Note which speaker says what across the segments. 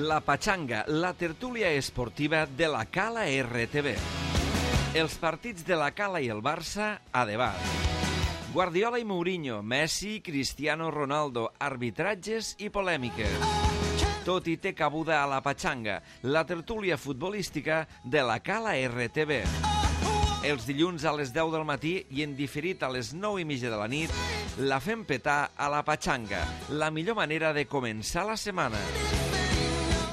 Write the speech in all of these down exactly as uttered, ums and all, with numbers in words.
Speaker 1: La Pachanga, la tertúlia esportiva de la Cala R T V. Els partits de la Cala i el Barça a debat. Guardiola i Mourinho, Messi, Cristiano Ronaldo, arbitratges i polèmiques. Tot i té cabuda a la Pachanga, la tertúlia futbolística de la Cala R T V. Els dilluns a les deu del matí i en diferit a les nou i mitja de la nit, la fem petar a la Pachanga, la millor manera de començar la setmana.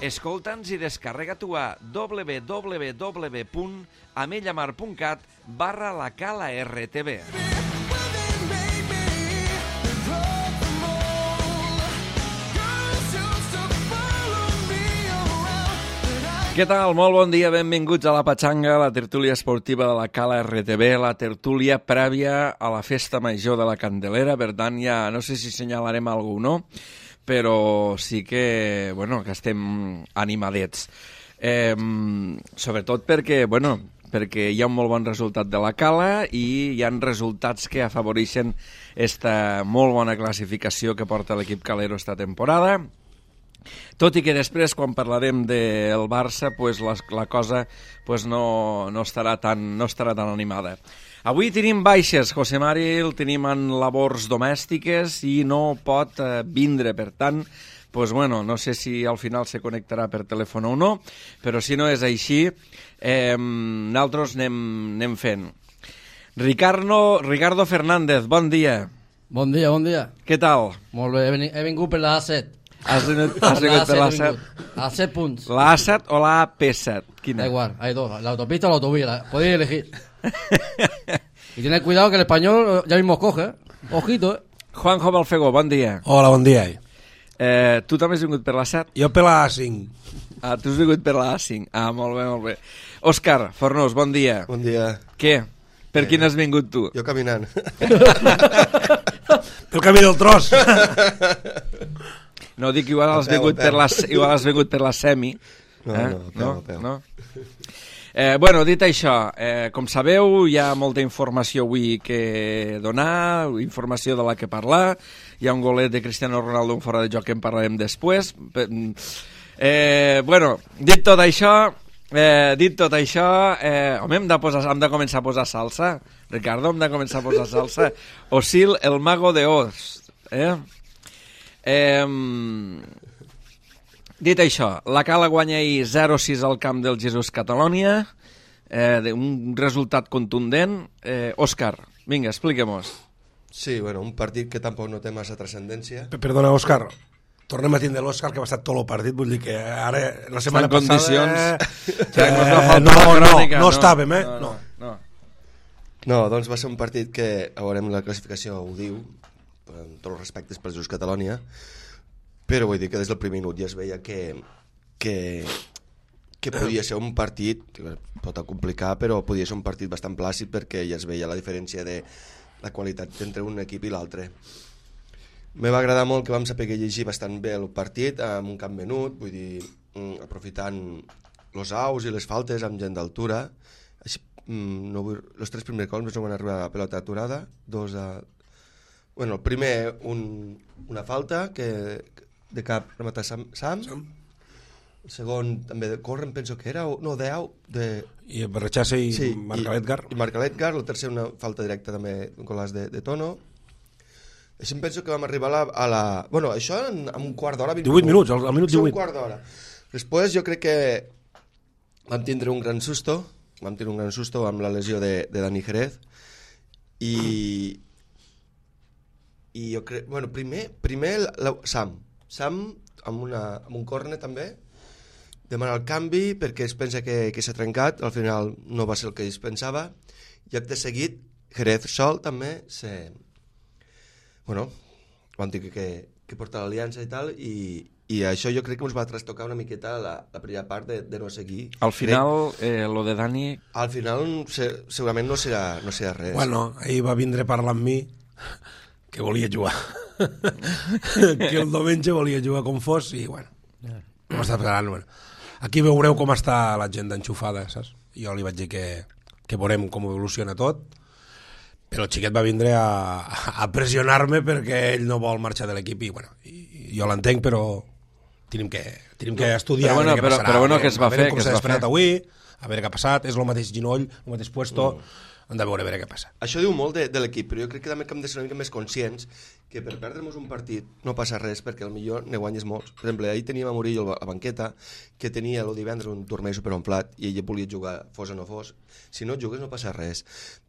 Speaker 1: Escolta'ns i descarrega-t'ho a w w w punt amellamar punt cat barra la Cala R T V. Què tal? Molt bon dia, benvinguts a la Pachanga, la tertúlia esportiva de la Cala R T V, la tertúlia prèvia a la festa major de la Candelera. Per tant, ja no sé si assenyalarem algú o no, però sí que, bueno, que estem animadets. Eh, sobretot perquè, bueno, perquè hi ha un molt bon resultat de la Cala i hi ha resultats que afavoreixen esta molt bona classificació que porta l'equip calero esta temporada. Tot i que després, quan parlarem del Barça, pues, la, la cosa pues, no, no, estarà tan, no estarà tan animada. Avui tenim baixes, José Mari el tenim en labors domèstiques i no pot eh, vindre, per tant, pues, bueno, no sé si al final se connectarà per telèfon o no, però si no és així, eh, nosaltres anem, anem fent. Ricardo, Ricardo Fernández, bon dia.
Speaker 2: Bon dia, bon dia.
Speaker 1: Què tal?
Speaker 2: Molt bé, he vingut per la A set.
Speaker 1: Has vingut, has vingut per l'A set?
Speaker 2: A set punts.
Speaker 1: ¿La A set o la A P set? Quina?
Speaker 2: Da igual, hay dos, la autopista o la autovía, la, podéis elegir. Y tened cuidado que el español ya mismo coge, ¿eh? Ojito, ¿eh?
Speaker 1: Juanjo Balfegó, bon dia.
Speaker 3: Hola, bon dia.
Speaker 1: Eh, tu també has vingut per la set?
Speaker 3: Jo per la A cinc.
Speaker 1: Ah, tu has vingut per la A cinc. Ah, molt bé, molt bé. Òscar Fornós, bon dia.
Speaker 4: Bon dia.
Speaker 1: Què? Per
Speaker 4: eh,
Speaker 1: quin has vingut tu?
Speaker 4: Jo caminant.
Speaker 3: Pel camí del tros.
Speaker 1: No, dic, igual has, peu, vingut, per la, igual has vingut per la semi.
Speaker 4: No,
Speaker 1: eh?
Speaker 4: no, peu,
Speaker 1: no,
Speaker 4: peu.
Speaker 1: no? Eh, bueno, dit això, eh, com sabeu, hi ha molta informació avui que donar, informació de la que parlar. Hi ha un golet de Cristiano Ronaldo, un fora de joc que en parlarem després. Eh, bueno, dit tot això, eh, dit tot això, eh, home, hem de, posar, hem de començar a posar salsa. Ricardo, hem de començar a posar salsa. Osil, el mago de Oz. Eh? Eh, dit això, la Cala guanya ahir zero sis al camp del Jesús Catalònia, eh, un resultat contundent. eh, Òscar, vinga, expliquem-nos.
Speaker 4: Sí, bueno, un partit que tampoc no té massa transcendència.
Speaker 3: Perdona, Òscar, tornem a tindre l'Òscar que va estar tot el partit, vull dir que ara la setmana
Speaker 1: en condicions
Speaker 3: passada eh, no, no, no, no estàvem, eh?
Speaker 1: No, no, no.
Speaker 4: No, doncs va ser un partit que, a veurem, la classificació ho diu, amb tots els respectes per Jesús Catalònia, però vull dir que des del primer minut ja es veia que, que, que podia ser un partit, pot complicar, però podia ser un partit bastant plàcid perquè ja es veia la diferència de la qualitat entre un equip i l'altre. Me va agradar molt que vam saber llegir bastant bé el partit amb un camp menut, vull dir, aprofitant els aus i les faltes amb gent d'altura. No vull, els tres primers cols no van arribar a pelota aturada, dos a... Bueno, el primer, un, una falta que de cap rematar Sam, Sam. Sam. El segon, també de córrer, penso que era, no, deu, de...
Speaker 3: I Barrachase i
Speaker 4: sí,
Speaker 3: marca l'Edgar.
Speaker 4: I, i marca l'Edgar, el tercer una falta directa també, un golaç de, de Tono. Així em penso que vam arribar a la... A la bueno, això en, en un quart d'hora...
Speaker 3: divuit minuts, al, al minut divuit.
Speaker 4: Un quart d'hora. Després jo crec que vam tindre un gran susto, vam tindre un gran susto amb la lesió de, de Dani Jerez, i... I jo crec... Bueno, primer, primer la, Sam. Sam, amb, una, amb un córner també, demana el canvi perquè es pensa que, que s'ha trencat, al final no va ser el que es pensava, i acte seguit, Jerez sol també, se... Bueno, vam dir que, que porta l'aliança i tal, i, i això jo crec que ens va trastocar una miqueta la, la primera part de, de no seguir.
Speaker 1: Al final, eh, lo de Dani...
Speaker 4: Al final, se, segurament no serà, no serà res.
Speaker 3: Bueno, ahir va vindre a parlar amb mi que volia jugar. Que el diumenge volia jugar com fos i, bueno, no està esperant. Bueno. Aquí veureu com està la gent d'enxufada, saps? Jo li vaig dir que, que veurem com evoluciona tot, però el xiquet va vindre a, a pressionar-me perquè ell no vol marxar de l'equip i, bueno, i, i jo l'entenc, però tenim que, tenim que estudiar
Speaker 1: Però bueno,
Speaker 3: a veure què
Speaker 1: però-
Speaker 3: passarà.
Speaker 1: però bueno,
Speaker 3: a veure-
Speaker 1: què es va
Speaker 3: a veure
Speaker 1: fer,
Speaker 3: com
Speaker 1: què es
Speaker 3: s'ha
Speaker 1: va
Speaker 3: despertat
Speaker 1: fer.
Speaker 3: avui, a veure què ha passat, és el mateix ginoll, el mateix puesto, mm. hem de veure a veure què passa.
Speaker 4: Això diu molt de, de l'equip, però jo crec que també hem de ser una mica més conscients que per perdre'ns un partit no passa res, perquè potser ne guanyes molts. Per exemple, ahir teníem a Murillo a la banqueta, que tenia el divendres un turmell superonflat i ell volia jugar, fos o no fos. Si no jugues no passa res.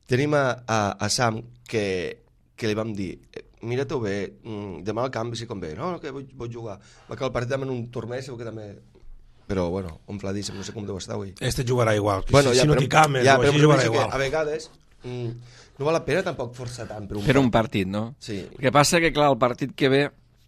Speaker 4: Tenim a, a, a Sam, que, que li vam dir, mira-t'ho bé, demà al canvi si convé. No, no, que vull, vull jugar. Va que el partit també en un turmell segur que també... Però, bueno, omfladíssim, no sé com deu estar avui.
Speaker 3: Este jugarà igual,
Speaker 4: Bueno,
Speaker 3: si,
Speaker 4: ja,
Speaker 3: si no
Speaker 4: però-
Speaker 3: t'hi cames
Speaker 4: ja,
Speaker 3: o
Speaker 4: però
Speaker 3: així
Speaker 4: però
Speaker 3: jugarà
Speaker 4: penso que
Speaker 3: igual.
Speaker 4: a vegades mm, no val la pena tampoc forçar tant per un
Speaker 1: Per un partit, no?
Speaker 4: Sí.
Speaker 1: El que passa que, clar, el partit que ve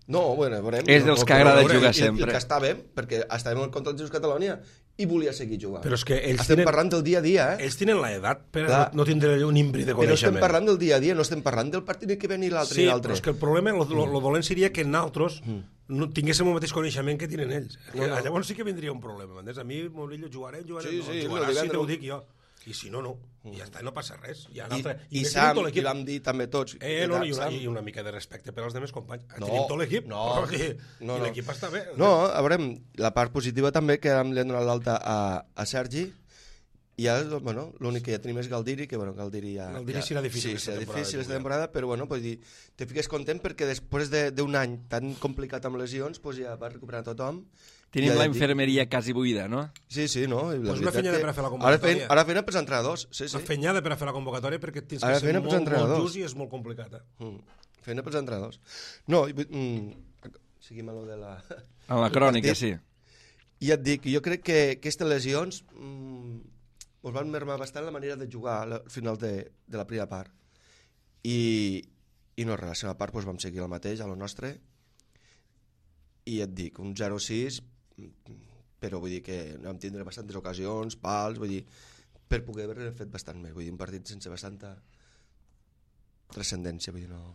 Speaker 4: No, bueno, veurem.
Speaker 1: és dels
Speaker 4: no,
Speaker 1: que
Speaker 4: però
Speaker 1: agrada
Speaker 4: veurem,
Speaker 1: jugar
Speaker 4: i-
Speaker 1: sempre.
Speaker 4: I, i que estàvem, perquè estàvem contra els Jugadors Catalunya i volia seguir jugant.
Speaker 3: Però és que ells
Speaker 4: estem
Speaker 3: tenen-
Speaker 4: parlant del dia a dia, eh?
Speaker 3: Ells tenen l'edat per
Speaker 4: Clar.
Speaker 3: no, no tindre un imbri de
Speaker 4: Però estem
Speaker 3: coneixement.
Speaker 4: parlant del dia a dia, no estem parlant del partit que ve ni l'altre
Speaker 3: Sí,
Speaker 4: ni
Speaker 3: però
Speaker 4: l'altre.
Speaker 3: és que el problema, lo, lo, lo dolent seria que nosaltres no tinguéssim el mateix coneixement que tenen ells.
Speaker 4: No, no.
Speaker 3: Llavors sí que vindria un problema, m'entens? A mi, Murillo, jugarem, jugarem,
Speaker 4: Sí,
Speaker 3: no,
Speaker 4: sí,
Speaker 3: jugaràs
Speaker 4: lo
Speaker 3: si
Speaker 4: divendres-
Speaker 3: t'ho dic jo. I si no, no. I ja està, no passa res. I,
Speaker 4: I,
Speaker 3: altre,
Speaker 4: i
Speaker 3: més
Speaker 4: Sam,
Speaker 3: tenim tot
Speaker 4: i
Speaker 3: l'equip.
Speaker 4: vam dir també tots.
Speaker 3: Eh, no, i una,
Speaker 4: Sam-
Speaker 3: i una mica de respecte per als demés companys.
Speaker 4: No,
Speaker 3: Tenim tot l'equip.
Speaker 4: no,
Speaker 3: I,
Speaker 4: no,
Speaker 3: i
Speaker 4: no.
Speaker 3: l'equip està bé.
Speaker 4: No, a veure, la part positiva també que hem donat l'alta a, a Sergi i ja, bueno, l'únic que ja tenim és Galdiri, que bueno, Galdiri ja...
Speaker 3: Galdiri
Speaker 4: ja,
Speaker 3: serà difícil
Speaker 4: sí,
Speaker 3: aquesta
Speaker 4: serà
Speaker 3: temporada
Speaker 4: difícil
Speaker 3: de
Speaker 4: aquesta
Speaker 3: jugar.
Speaker 4: temporada, però bueno, pues dir, te fiques content perquè després de- d'un any tan complicat amb lesions, pues ja va recuperar tothom.
Speaker 1: tenim
Speaker 4: Ja
Speaker 1: la
Speaker 4: et dic-
Speaker 1: infermeria quasi buida, no?
Speaker 4: Sí, sí, no? I la
Speaker 3: Pues una
Speaker 4: veritat
Speaker 3: feina
Speaker 4: que
Speaker 3: per a fer la
Speaker 4: Ara
Speaker 3: convocatòria.
Speaker 4: feien, ara feien pels entrenadors, sí, sí.
Speaker 3: Una fenyada per a fer la convocatòria perquè tens
Speaker 4: Ara
Speaker 3: que ser
Speaker 4: feina
Speaker 3: molt,
Speaker 4: pels
Speaker 3: molt
Speaker 4: entrenadors.
Speaker 3: just i és molt complicat. Eh?
Speaker 4: Mm. Feina pels entrenadors. No, i vull- mm, seguim a lo de la...
Speaker 1: En la
Speaker 4: del
Speaker 1: crònica,
Speaker 4: partit.
Speaker 1: sí.
Speaker 4: I et dic, jo crec que aquestes lesions mm, us van mermar bastant la manera de jugar al final de, de la primera part. I, i no res, la segona part doncs, vam seguir el mateix, a lo nostre, i et dic, un zero sis, però vull dir que vam tindre bastantes ocasions, pals, vull dir, per poder haver fet bastant més, vull dir, un partit sense bastanta transcendència, vull dir, no,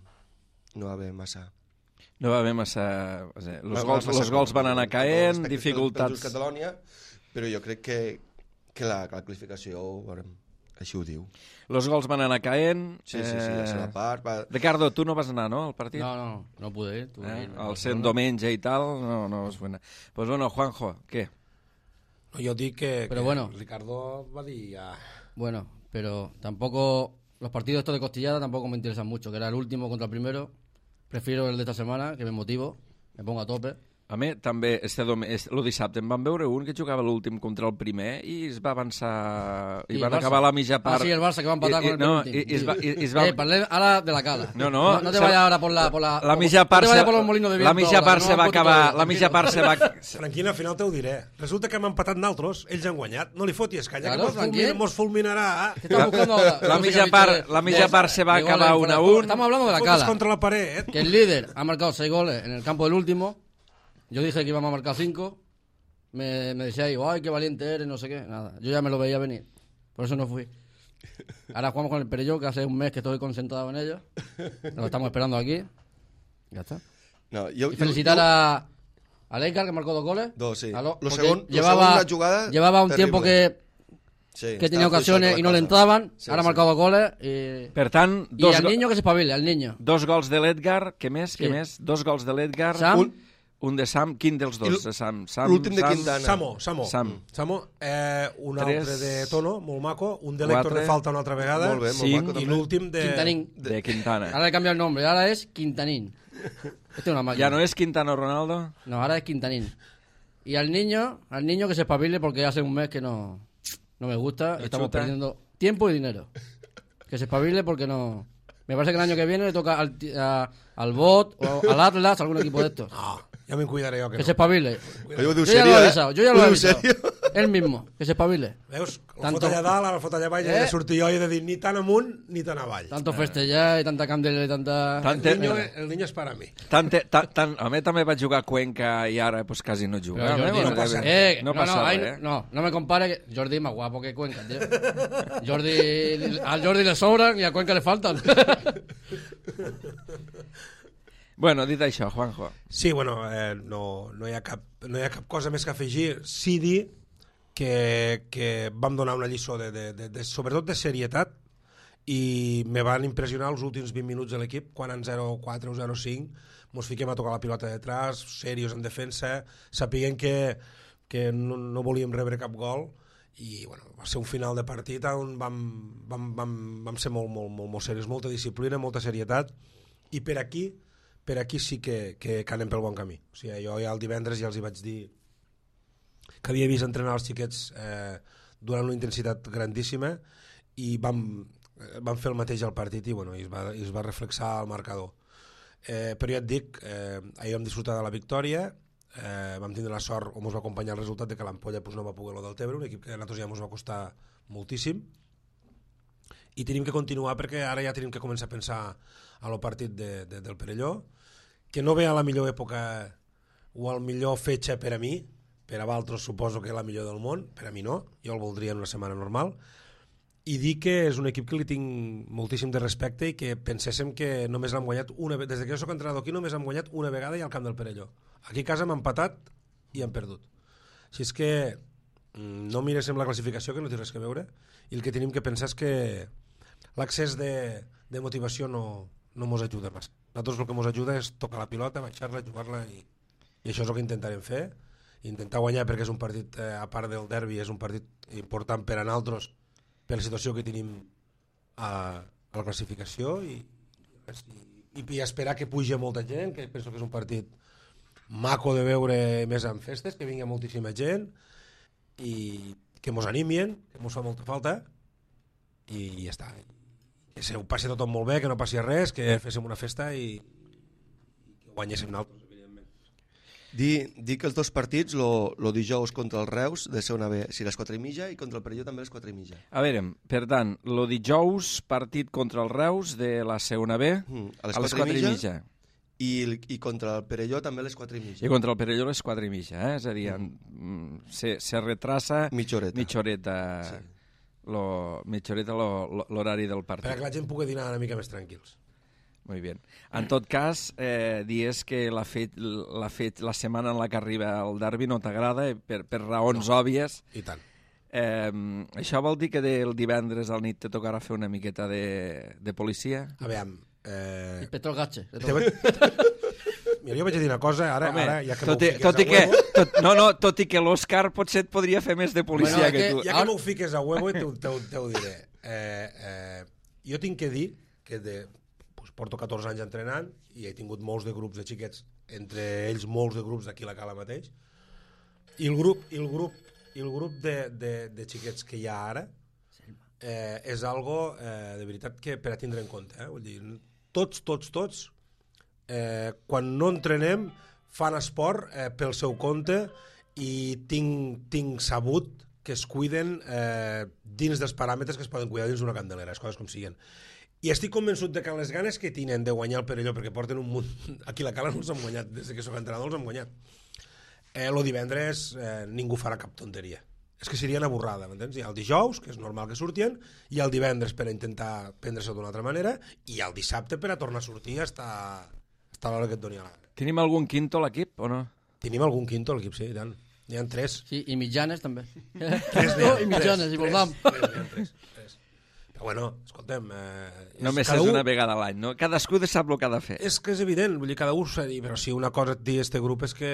Speaker 4: no va haver massa...
Speaker 1: No va haver massa... o sigui, Los
Speaker 4: massa
Speaker 1: gols,
Speaker 4: massa
Speaker 1: los gols van anar
Speaker 4: amb tot el
Speaker 1: caent,
Speaker 4: respecte pel-
Speaker 1: dificultats...
Speaker 4: pel Catalunya, però jo crec que, que la, la classificació veurem, així ho diu.
Speaker 1: Los gols van anar caent...
Speaker 4: Sí, sí, sí, la segona part... Va...
Speaker 1: Ricardo, tu no vas anar, no, al partit?
Speaker 2: No, no, no pude ir. Tuve que
Speaker 1: Eh?
Speaker 2: ir a
Speaker 1: Al sent
Speaker 2: Barcelona.
Speaker 1: diumenge i tal, no, no vas anar. Pues bueno, Juanjo, què?
Speaker 3: No, jo dic que,
Speaker 2: Pero
Speaker 3: que
Speaker 2: bueno.
Speaker 3: Ricardo va dir ja...
Speaker 2: Bueno, pero tampoco... Los partidos estos de costillada tampoco me interesan mucho, que era el último contra el primero. Prefiero el de esta semana, que me motivo, me pongo a tope.
Speaker 1: A mi també, este dom... este, lo dissabte em van veure un que jugava l'últim contra el primer i es va avançar... I,
Speaker 2: I el
Speaker 1: van
Speaker 2: Barça.
Speaker 1: acabar la mitja part...
Speaker 2: Ah, sí, el Barça, que va empatar
Speaker 1: I, i,
Speaker 2: con el
Speaker 1: no,
Speaker 2: penúltim.
Speaker 1: i, i es va, i, i es
Speaker 2: Eh,
Speaker 1: va...
Speaker 2: parlem ahora de la cala.
Speaker 1: No, no,
Speaker 2: No, te
Speaker 1: se-
Speaker 2: vayas ahora por la... Por la,
Speaker 1: La mitja
Speaker 2: no
Speaker 1: part
Speaker 2: te
Speaker 1: se,
Speaker 2: vayas por los molinos de viento.
Speaker 1: la mitja
Speaker 2: ahora,
Speaker 1: part
Speaker 2: no
Speaker 1: se
Speaker 2: han
Speaker 1: va
Speaker 2: puesto
Speaker 1: acabar,
Speaker 2: todo,
Speaker 1: la mitja part se va...
Speaker 3: Tranquil, al final te ho diré. Resulta que hem empatat nosaltres, ells han guanyat. No li fotis canya,
Speaker 2: Claro,
Speaker 3: que mos,
Speaker 2: tranquil.
Speaker 3: fulmin, mos fulminarà.
Speaker 2: ¿Qué estás buscando ahora?
Speaker 1: La
Speaker 2: No sé
Speaker 1: mitja
Speaker 2: qué ha
Speaker 1: part,
Speaker 2: dicho de-
Speaker 1: la mitja
Speaker 2: de-
Speaker 1: part se va
Speaker 2: de goles
Speaker 1: acabar
Speaker 2: fuera
Speaker 1: un a
Speaker 2: de juego.
Speaker 1: un.
Speaker 2: Estamos hablando de la
Speaker 3: Fotis
Speaker 2: cala.
Speaker 3: contra la paret.
Speaker 2: Que el líder ha marcado seis goles en el campo del último. Yo dije que íbamos a marcar cinco. Me, me decía, ay, qué valiente eres, no sé qué. Nada, yo ya me lo veía venir. Por eso no fui. Ahora jugamos con el Perelló, que hace un mes que estoy concentrado en ello. Lo estamos esperando aquí. Ya está.
Speaker 4: No, jo,
Speaker 2: Y felicitar a, a Leikar, que marcó dos goles.
Speaker 4: Dos, sí.
Speaker 2: A lo-
Speaker 4: Lo
Speaker 2: porque
Speaker 4: segon- lo
Speaker 2: llevaba,
Speaker 4: segon una jugada
Speaker 2: llevaba un
Speaker 4: terrible.
Speaker 2: tiempo que,
Speaker 4: sí,
Speaker 2: que tenía
Speaker 4: estava
Speaker 2: ocasiones
Speaker 4: fluixeta
Speaker 2: y
Speaker 4: la
Speaker 2: no le
Speaker 4: cosa.
Speaker 2: entraban.
Speaker 4: Sí,
Speaker 2: Ahora ha
Speaker 4: sí.
Speaker 2: marcado dos goles. Y,
Speaker 1: Per tant,
Speaker 2: y
Speaker 1: dos,
Speaker 2: al
Speaker 1: go-
Speaker 2: niño que se espabile, al niño.
Speaker 1: dos gols de l'Edgar, què més? Què
Speaker 2: Sí.
Speaker 1: més? Dos gols de l'Edgar,
Speaker 2: Sam.
Speaker 1: un, un de Sam, quin dels
Speaker 4: I
Speaker 1: dos?
Speaker 4: l-
Speaker 1: De Sam, Sam,
Speaker 4: l'últim de
Speaker 1: Sam,
Speaker 4: Quintana.
Speaker 3: Samo, Samo.
Speaker 1: Sam.
Speaker 3: Samo, eh, un
Speaker 1: Tres.
Speaker 3: altre de Tono, molt maco, un de l'Héctor
Speaker 1: Quatre.
Speaker 3: de falta una altra vegada,
Speaker 4: Molt bé, molt
Speaker 1: Cinc.
Speaker 4: maco,
Speaker 3: i
Speaker 4: també.
Speaker 3: l'últim de...
Speaker 2: Quintanín.
Speaker 1: de Quintana.
Speaker 2: Ahora le cambia el nombre, ahora es Quintanín. Este es una máquina.
Speaker 1: Ja no és Quintana Ronaldo?
Speaker 2: No, ahora es Quintanín. Y al niño, al niño que se espabile porque hace un mes que no, no me gusta.
Speaker 1: ¿No
Speaker 2: Estamos
Speaker 1: chuta?
Speaker 2: perdiendo tiempo y dinero. Que se espabile porque no... Me parece que el año que viene le toca al, ti- a- al Bot o al Atlas, algún equipo de estos.
Speaker 3: Ah, ja me'n cuidaré jo, que,
Speaker 2: Que
Speaker 3: no.
Speaker 2: se espabile.
Speaker 4: Ell ho diu
Speaker 2: Yo ya
Speaker 4: serio,
Speaker 2: lo he
Speaker 4: eh?
Speaker 2: avisado, yo ya
Speaker 4: Ho
Speaker 2: lo he
Speaker 4: diu
Speaker 2: avisado.
Speaker 4: serio.
Speaker 2: Él mismo, que se espabile.
Speaker 3: Veus? El
Speaker 2: Tanto-
Speaker 3: fot allà dalt, ara el fot allà baix,
Speaker 2: Eh?
Speaker 3: eh? sortir jo i he de dir ni tan amunt ni tan avall.
Speaker 2: Tanto festejar y tanta candela y tanta...
Speaker 1: Tant-
Speaker 3: El niño, el niño és per a mi.
Speaker 1: Tant, tant, tant, a mi també vaig jugar a Cuenca i ara pues, quasi no juga.
Speaker 2: Pero Jordi,
Speaker 1: Eh,
Speaker 3: no pasa
Speaker 2: eh,
Speaker 1: no
Speaker 2: no,
Speaker 1: passa
Speaker 2: no, ahí
Speaker 1: res, eh?
Speaker 2: no, no me compare que Jordi es más guapo que Cuenca, tío. Jordi, al Jordi le sobran y a Cuenca le faltan.
Speaker 1: Bueno, dit això, Juanjo.
Speaker 3: Sí, bueno, eh, no, no, hi ha cap, no hi ha cap cosa més que afegir. Sí dir que, que vam donar una lliçó de, de, de, de, sobretot de serietat i me van impressionar els últims vint minuts de l'equip, quan en zero quatre o zero cinc mos fiquem a tocar la pilota detrás, serios en defensa, sapiguem que, que no, no volíem rebre cap gol, i bueno, va ser un final de partit on vam, vam, vam, vam ser molt, molt, molt, molt serios, molta disciplina, molta serietat, i per aquí per aquí sí que, que, que anem pel bon camí. O sigui, jo ja el divendres ja els hi vaig dir que havia vist entrenar els xiquets eh, durant una intensitat grandíssima, i vam, vam fer el mateix al partit, i, bueno, i es, va, i es va reflexar al marcador. Eh, però ja et dic, eh, ahir vam disfrutar de la victòria, eh, vam tindre la sort, o ens va acompanyar el resultat de que l'Ampolla pues, no va poder lo del Tebre, un equip que a nosaltres ja ens va costar moltíssim, i tenim que continuar perquè ara ja tenim que començar a pensar a lo partit de, de, del Perelló, que no ve a la millor època o al millor fetge per a mi, per a vosaltres suposo que és la millor del món, per a mi no, jo el voldria en una setmana normal, i dir que és un equip que li tinc moltíssim de respecte i que penséssim que només l'hem guanyat una vegada, des que jo soc entrenador aquí només hem guanyat una vegada i al camp del Perelló. Aquí a casa hem empatat i hem perdut. Així és que no miréssim la classificació, que no té res que veure, i el que tenim que pensar és que l'accés de, de motivació no, no mos ajuda massa. Nosaltres el que mos ajuda és tocar la pilota, baixar-la, jugar-la, i, i això és el que intentarem fer, intentar guanyar perquè és un partit, eh, a part del derbi, és un partit important per a nosaltres, per la situació que tenim a, a la classificació, i, i, i esperar que pugi molta gent, que penso que és un partit maco de veure més en festes, que vingui moltíssima gent i que mos animien, que mos fa molta falta, i ja està. Que se ho passi tothom molt bé, que no passi res, que féssim una festa i, i que guanyéssim nosaltres.
Speaker 4: Dir, dir que els dos partits, lo, lo dijous contra el Reus, de ser una B, si les quatre i mitja, i contra el Perelló també les quatre i mitja.
Speaker 1: A veure, per tant, lo dijous, partit contra el Reus de la segona B, mm, a les, a les quatre i mitja.
Speaker 4: I, I contra el Perelló també a les quatre i mitja.
Speaker 1: I contra el Perelló a les quatre i mitja, eh? És a dir, mm. se, se retrassa
Speaker 4: mitja horeta.
Speaker 1: Mitja horeta, sí. lo, mitja horeta lo, lo, l'horari del partit.
Speaker 3: Per que la gent pugui dinar una mica més tranquils.
Speaker 1: Molt bé. En tot cas, eh, dies que la, fet, la, fet, la setmana en la que arriba el derbi no t'agrada, per, per raons no. òbvies.
Speaker 3: I tant.
Speaker 1: Eh, això vol dir que el divendres al nit te tocarà fer una miqueta de, de policia?
Speaker 3: A veure... Eh...
Speaker 2: Petrol gatxe.
Speaker 3: Mira, jo vaig dir una cosa, ara,
Speaker 1: Home,
Speaker 3: ara ja que
Speaker 1: tot
Speaker 3: m'ho
Speaker 1: i,
Speaker 3: fiques
Speaker 1: tot
Speaker 3: a
Speaker 1: i que,
Speaker 3: huevo...
Speaker 1: tot, no, no, tot i que l'Òscar potser et podria fer més de policia
Speaker 2: bueno,
Speaker 1: que,
Speaker 2: que
Speaker 1: tu.
Speaker 3: Ja que m'ho fiques a huevo, te, te, te ho diré. Eh, eh, jo tinc que dir que de, pues, porto catorze anys entrenant i he tingut molts de grups de xiquets, entre ells molts de grups d'aquí a la Cala mateix, i el grup, i el grup, i el grup de, de, de xiquets que hi ha ara eh, és algo eh, de veritat que per a tindre en compte. Eh? Vull dir, tots, tots, tots, eh, quan no entrenem, fan esport eh, pel seu compte i tinc, tinc sabut que es cuiden eh, dins dels paràmetres que es poden cuidar dins d'una candelera, les coses com siguen. I estic convençut de que les ganes que tenen de guanyar el Perelló, perquè porten un munt... Aquí a la Cala no els han guanyat, des que soc entrenador els han guanyat. Eh, lo divendres eh, ningú farà cap tonteria. És que seria una borrada, m'entens? Hi ha el dijous, que és normal que surtien, i el divendres per a intentar prendre-se d'una altra manera, i el dissabte per a tornar a sortir hasta, hasta l'hora que et doni la gana.
Speaker 1: Tenim algun quinto a l'equip o no?
Speaker 3: Tenim algun quinto a l'equip, sí, i tant. N'hi ha tres.
Speaker 2: Sí, i mitjanes també.
Speaker 3: Tres
Speaker 2: no, i mitjanes, i volvam.
Speaker 3: Tres, tres, tres, tres. Però bueno, escoltem... Eh,
Speaker 1: Només és una vegada a l'any, no? Cadascú de sap el que ha de fer.
Speaker 3: És que és evident, vull dir, cada un s'ha dit, però si una cosa et diu este grup és que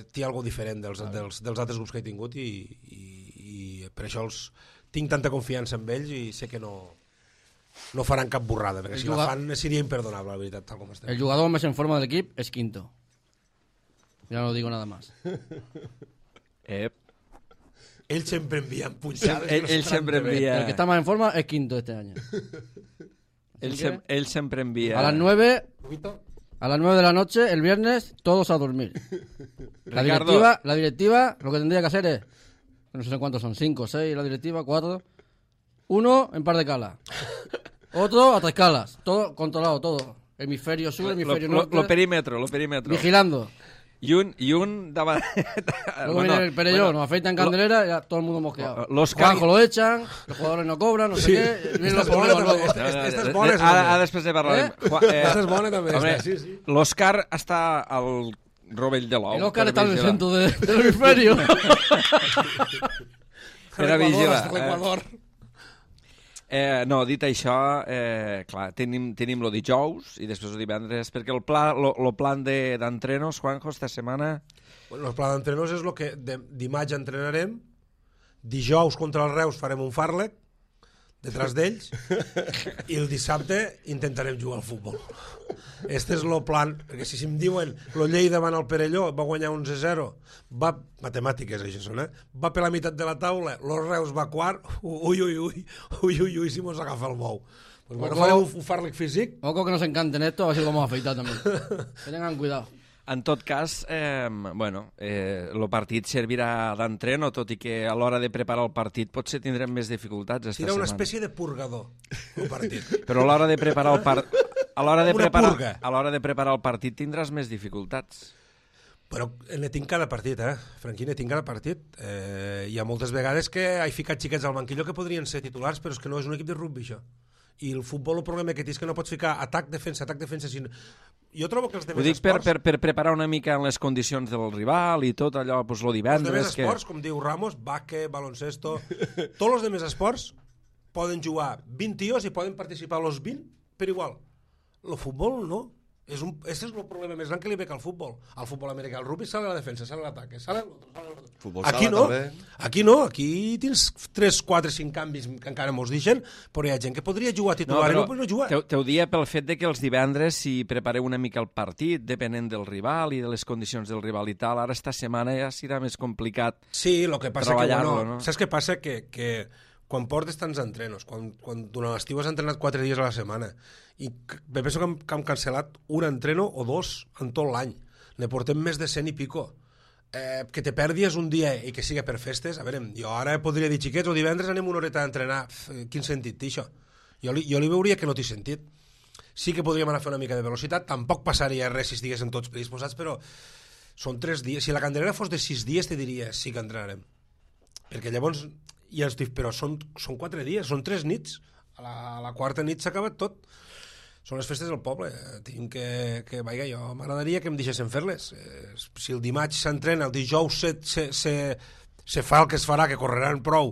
Speaker 3: té alguna diferent dels, dels, dels altres grups que he tingut i, i, i per això els, tinc tanta confiança en ells i sé que no, no faran cap borrada, perquè el si jugador... la fan seria imperdonable, la veritat, tal com estem.
Speaker 2: El jugador més en forma de l'equip és Quinto. Ja no digo nada más.
Speaker 1: Ep.
Speaker 3: Ell sempre envia punxades.
Speaker 1: Ell, ell sempre envia...
Speaker 2: El que está más en forma es Quinto este año.
Speaker 1: Él, se, él siempre envía...
Speaker 2: A las nueve... A las nueve de la noche, el viernes, todos a dormir. La
Speaker 1: Ricardo.
Speaker 2: directiva, la directiva, lo que tendría que hacer es... No sé cuántos son, cinco, seis, la directiva, cuatro... Uno en par de calas. Otro a tres calas. Todo controlado, todo. Hemisferio sur, hemisferio
Speaker 1: lo,
Speaker 2: norte.
Speaker 1: Lo perímetro, lo perímetro.
Speaker 2: Vigilando.
Speaker 1: Y un, y un daba...
Speaker 2: Luego bueno, viene el Perelló, bueno, nos afeitan candelera y ya todo el mundo mosqueado.
Speaker 1: Los
Speaker 2: Juanjo lo echan, los jugadores no cobran, no sé
Speaker 3: sí.
Speaker 2: qué. Vienen los
Speaker 3: problemas
Speaker 2: luego.
Speaker 3: Esta és bona,
Speaker 1: ara, ara després de parlar.
Speaker 2: Eh?
Speaker 3: Esta és bona també.
Speaker 1: Home,
Speaker 3: sí, sí.
Speaker 1: l'Òscar està al rovell de l'ou.
Speaker 2: El Òscar està en el centre de, del hemisferio.
Speaker 1: Era vigila.
Speaker 3: L'Equador.
Speaker 1: Eh, no, dit això, eh, clar, tenim, tenim lo dijous i després el divendres, perquè el pla, lo, lo plan de, d'entrenos, Juanjo, esta setmana...
Speaker 3: Bueno, el pla d'entrenos és el que de, dimarts entrenarem, dijous contra els Reus farem un fàrlec, detrás d'ells, i el dissabte intentarem jugar al futbol. Este és el plan, perquè si em diuen lo Lleida van al Perelló, va guanyar onze a zero, va, matemàtiques això són, eh? Va per la meitat de la taula, los Reus va quart, ui, ui, ui, ui, ui, ui, si mos agafa el bou. Pues bueno, farem un, un fàrlec físic.
Speaker 2: Ojo que nos encanten esto, a ver si lo vamos a afeitar también. Que tengan cuidado.
Speaker 1: En tot cas, eh, bueno, eh, el partit servirà d'entreno, tot i que a l'hora de preparar el partit potser tindrem més dificultats esta
Speaker 3: Serà una
Speaker 1: setmana.
Speaker 3: espècie de purgador, el partit.
Speaker 1: Però a l'hora de preparar el partit... A l'hora de,
Speaker 3: Una
Speaker 1: preparar,
Speaker 3: purga.
Speaker 1: a l'hora de preparar el partit tindràs més dificultats.
Speaker 3: Però ne tinc cada partit, eh? Franquí, ne tinc cada partit. Eh, hi ha moltes vegades que he ficat xiquets al banquillo que podrien ser titulars, però és que no és un equip de rugby, això. I el futbol, el problema que té és que no pots ficar atac, defensa, atac, defensa... Sin... Jo trobo que els
Speaker 1: Ho
Speaker 3: demés
Speaker 1: dic per,
Speaker 3: esports...
Speaker 1: per, per preparar una mica en les condicions del rival i tot allò, pues, lo
Speaker 3: Els
Speaker 1: divendres...
Speaker 3: demés
Speaker 1: que...
Speaker 3: esports, com diu Ramos, bàsquet, baloncesto... Tots els demés esports poden jugar vint tios i poden participar els vint per igual. El futbol no. És un, este és el problema més gran que li ve al futbol. Al futbol americà, el rugby sale la defensa, sale l'atac, sale l'altre, sale l'altre.
Speaker 4: Futbol
Speaker 3: Aquí
Speaker 4: sala,
Speaker 3: no,
Speaker 4: també.
Speaker 3: aquí no, aquí tens tres, quatre, cinc canvis que encara mos deixen, però hi ha gent que podria jugar titular no, i no, no jugar.
Speaker 1: Te, te ho dia pel fet de que els divendres, si prepareu una mica el partit, depenent del rival i de les condicions del rival i tal, ara esta setmana ja serà més complicat.
Speaker 3: Sí, el que passa que, bueno,
Speaker 1: no?
Speaker 3: saps què passa? Que, que quan portes tants entrenos, quan, quan durant l'estiu has entrenat quatre dies a la setmana, i me penso que hem, que hem cancel·lat un entreno o dos en tot l'any, ne portem més de cent i pico. Eh, que te perdis un dia i que siga per festes, a veure, jo ara podria dir, xiquets, o divendres anem una horeta a entrenar, Pff, quin sentit té això? Jo li, jo li veuria que no té sentit. Sí que podríem anar a fer una mica de velocitat, tampoc passaria res si estiguessin tots predisposats, però són tres dies. Si la Candelera fos de sis dies, te diria, sí que entrenarem. Perquè llavors, ja estic, però són, són quatre dies, són tres nits. A la, a la quarta nit s'ha acabat tot. Són les festes del poble. Tinc que, que vaja, jo m'agradaria que em deixessin fer-les. Eh, si el dimarts s'entrena, el dijous se, se, se, se fa el que es farà, que correran prou,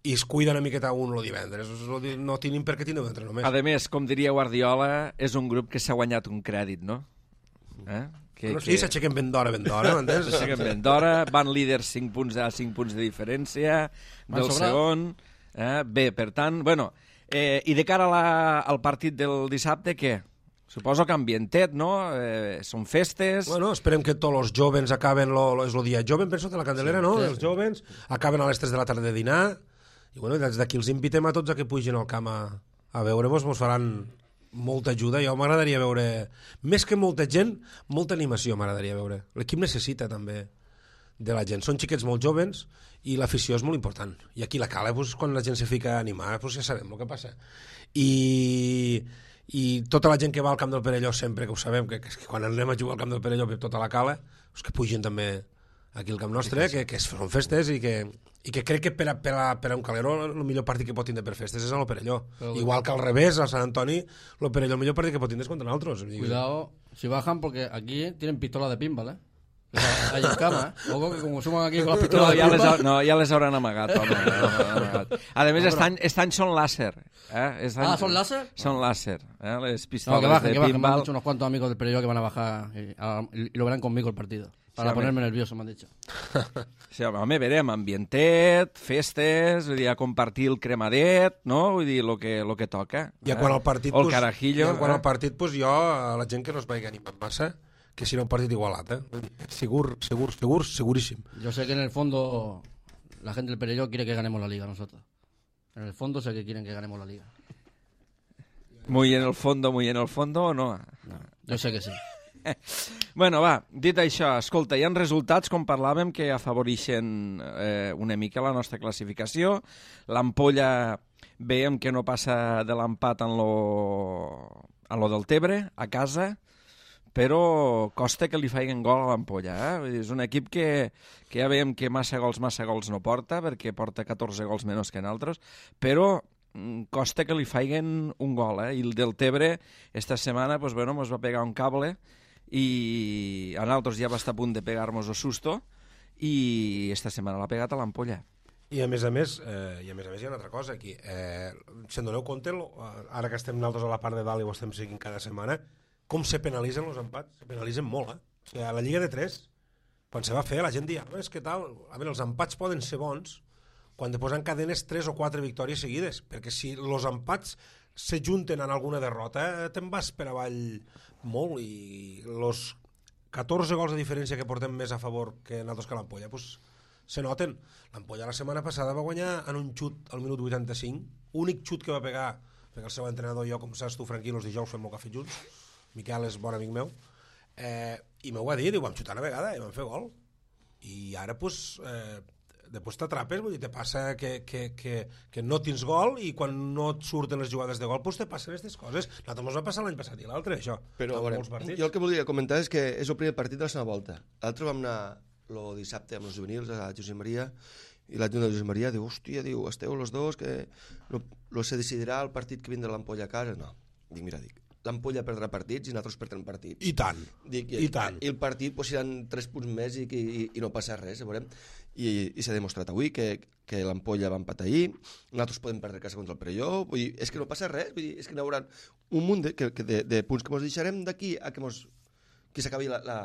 Speaker 3: i es cuida una miqueta un el divendres. No tenim per què tindre un entreno més.
Speaker 1: A més, com diria Guardiola, és un grup que s'ha guanyat un crèdit, no? Eh? Que,
Speaker 3: no, sí, que... s'aixequen ben d'hora, ben d'hora, m'entens?
Speaker 1: S'aixequen ben d'hora, van líders cinc punts a cinc punts de diferència del segon. Eh? Bé, per tant, bueno... Eh, I de cara a la, al partit del dissabte, què? Suposo que ambientet, no? Eh, són festes...
Speaker 3: Bueno, esperem que tots els jovens acaben... Lo, lo, és el dia jovent, penso, de la Candelera, sí, no? Sí, els sí. Jovens acaben a les tres de la tarda de dinar i, bueno, des d'aquí els invitem a tots a que pugin al camp a, a veure-mos, mos faran molta ajuda. Jo m'agradaria veure... Més que molta gent, molta animació m'agradaria veure. L'equip necessita, també, de la gent. Són xiquets molt jovens i l'afició és molt important. I aquí la cala, pues, quan la gent se fica a animar, pues, ja sabem el que passa. I, i tota la gent que va al Camp del Perelló, sempre que ho sabem, que, que quan anem a jugar al Camp del Perelló per tota la cala, pues, que pugin també aquí al camp nostre, que, que són festes i que, i que crec que per a, per a, per a un calero el millor partit que pot tindre per festes és el Perelló. Pero, igual que al revés, al Sant Antoni, el Perelló el millor partit que pot tindre és contra nosaltres.
Speaker 2: Cuidado, si bajan, porque aquí tienen pistola de pinball, ¿eh? Hay en cama, ¿eh? Ojo que como suman aquí con las pistolas
Speaker 1: no,
Speaker 2: de
Speaker 1: ja les,
Speaker 2: pinball...
Speaker 1: no, ja les hauran amagat, home. amagat. A més, no, este, any, este any són láser. Eh? Este any,
Speaker 2: ah, ¿son láser?
Speaker 1: Son láser. Eh? Les pistolas
Speaker 2: no, que bajen,
Speaker 1: de
Speaker 2: que bajen.
Speaker 1: pinball.
Speaker 2: Me han dicho unos cuantos amigos del Perelló que van a bajar y, a, y lo verán conmigo el partido. Para sí, ponerme nervioso, m'han dit.
Speaker 1: Sí, home, verem, ambientet, festes, vull dir, a compartir el cremadet, no? Vull dir, el que, lo que toca.
Speaker 3: I eh? quan al partit,
Speaker 1: o el carajillo.
Speaker 3: I quan
Speaker 1: eh?
Speaker 3: al partit, pues, jo, a la gent que no es vagi animant massa, que será un partido igualat, ¿eh? Segur, segur, segur, segurísimo.
Speaker 2: Yo sé que en el fondo la gente del Perelló quiere que ganemos la Liga nosotros. En el fondo sé que quieren que ganemos la Liga.
Speaker 1: Muy en el fondo, muy en el fondo, o no?
Speaker 2: No, yo sé que sí.
Speaker 1: Bueno, va, dit això, escolta, hi ha resultats, com parlàvem, que afavoreixen eh, una mica la nostra classificació. L'Ampolla veiem que no passa de l'empat en lo, en lo del Tebre, a casa, però costa que li faiguen gol a l'Ampolla. Eh? És un equip que, que ja veiem que massa gols, massa gols no porta, perquè porta catorze gols menys que en altres, però costa que li faiguen un gol. Eh? I el del Tebre, esta setmana, pues, bueno, mos va pegar un cable i a nosaltres ja va estar a punt de pegar-nos el susto i esta setmana l'ha pegat a l'Ampolla.
Speaker 3: I a més a més, eh, i a més a més hi ha una altra cosa aquí. Eh, se'n doneu compte, ara que estem nosaltres a la part de dalt i ho estem seguint cada setmana, com se penalitzen els empats? Se penalitzen molt, eh? O sigui, a la Lliga de tres, quan se va fer, la gent dia, és que tal, a veure, els empats poden ser bons quan després encadenes tres o quatre victòries seguides, perquè si els empats se junten en alguna derrota, te'n vas per avall molt, i els catorze gols de diferència que portem més a favor que nosaltres que l'Ampolla, doncs se noten. L'Ampolla la setmana passada va guanyar en un xut al minut vuitanta-cinc, únic xut que va pegar, perquè el seu entrenador i jo, com saps tu, Franquí, els dijous fem molt cafè junts, Miquel és bon amic meu, eh, i m'ho va dir, diu, vam xutar una vegada i vam fer gol. I ara, doncs, eh, després t'atrapes, vull dir, te passa que, que, que, que no tens gol i quan no et surten les jugades de gol, doncs te passen aquestes coses. Nosaltres ens va passar l'any passat i l'altre, això.
Speaker 4: Però, a veure, jo el que volia comentar és que és el primer partit de la segona volta. L'altre vam anar el dissabte amb els juvenils a Josep Maria i l'adjunt de Josep Maria diu, hòstia, diu, esteu els dos que no, no se decidirà el partit que vindrà l'Ampolla a casa. No, dic, mira, dic, l'Ampolla perdrà partits i nosaltres perdrem partits.
Speaker 3: I tant,
Speaker 4: dic,
Speaker 3: i, i tant.
Speaker 4: I el partit pues, seran tres punts més i, i, i no passa res, veurem. I, i s'ha demostrat avui que, que l'Ampolla va empatar ahir, nosaltres podem perdre casa contra el Perelló, vull dir, és que no passa res, vull dir, és que n'hi haurà un munt de, que, de, de punts que ens deixarem d'aquí a que, mos, que s'acabi la, la,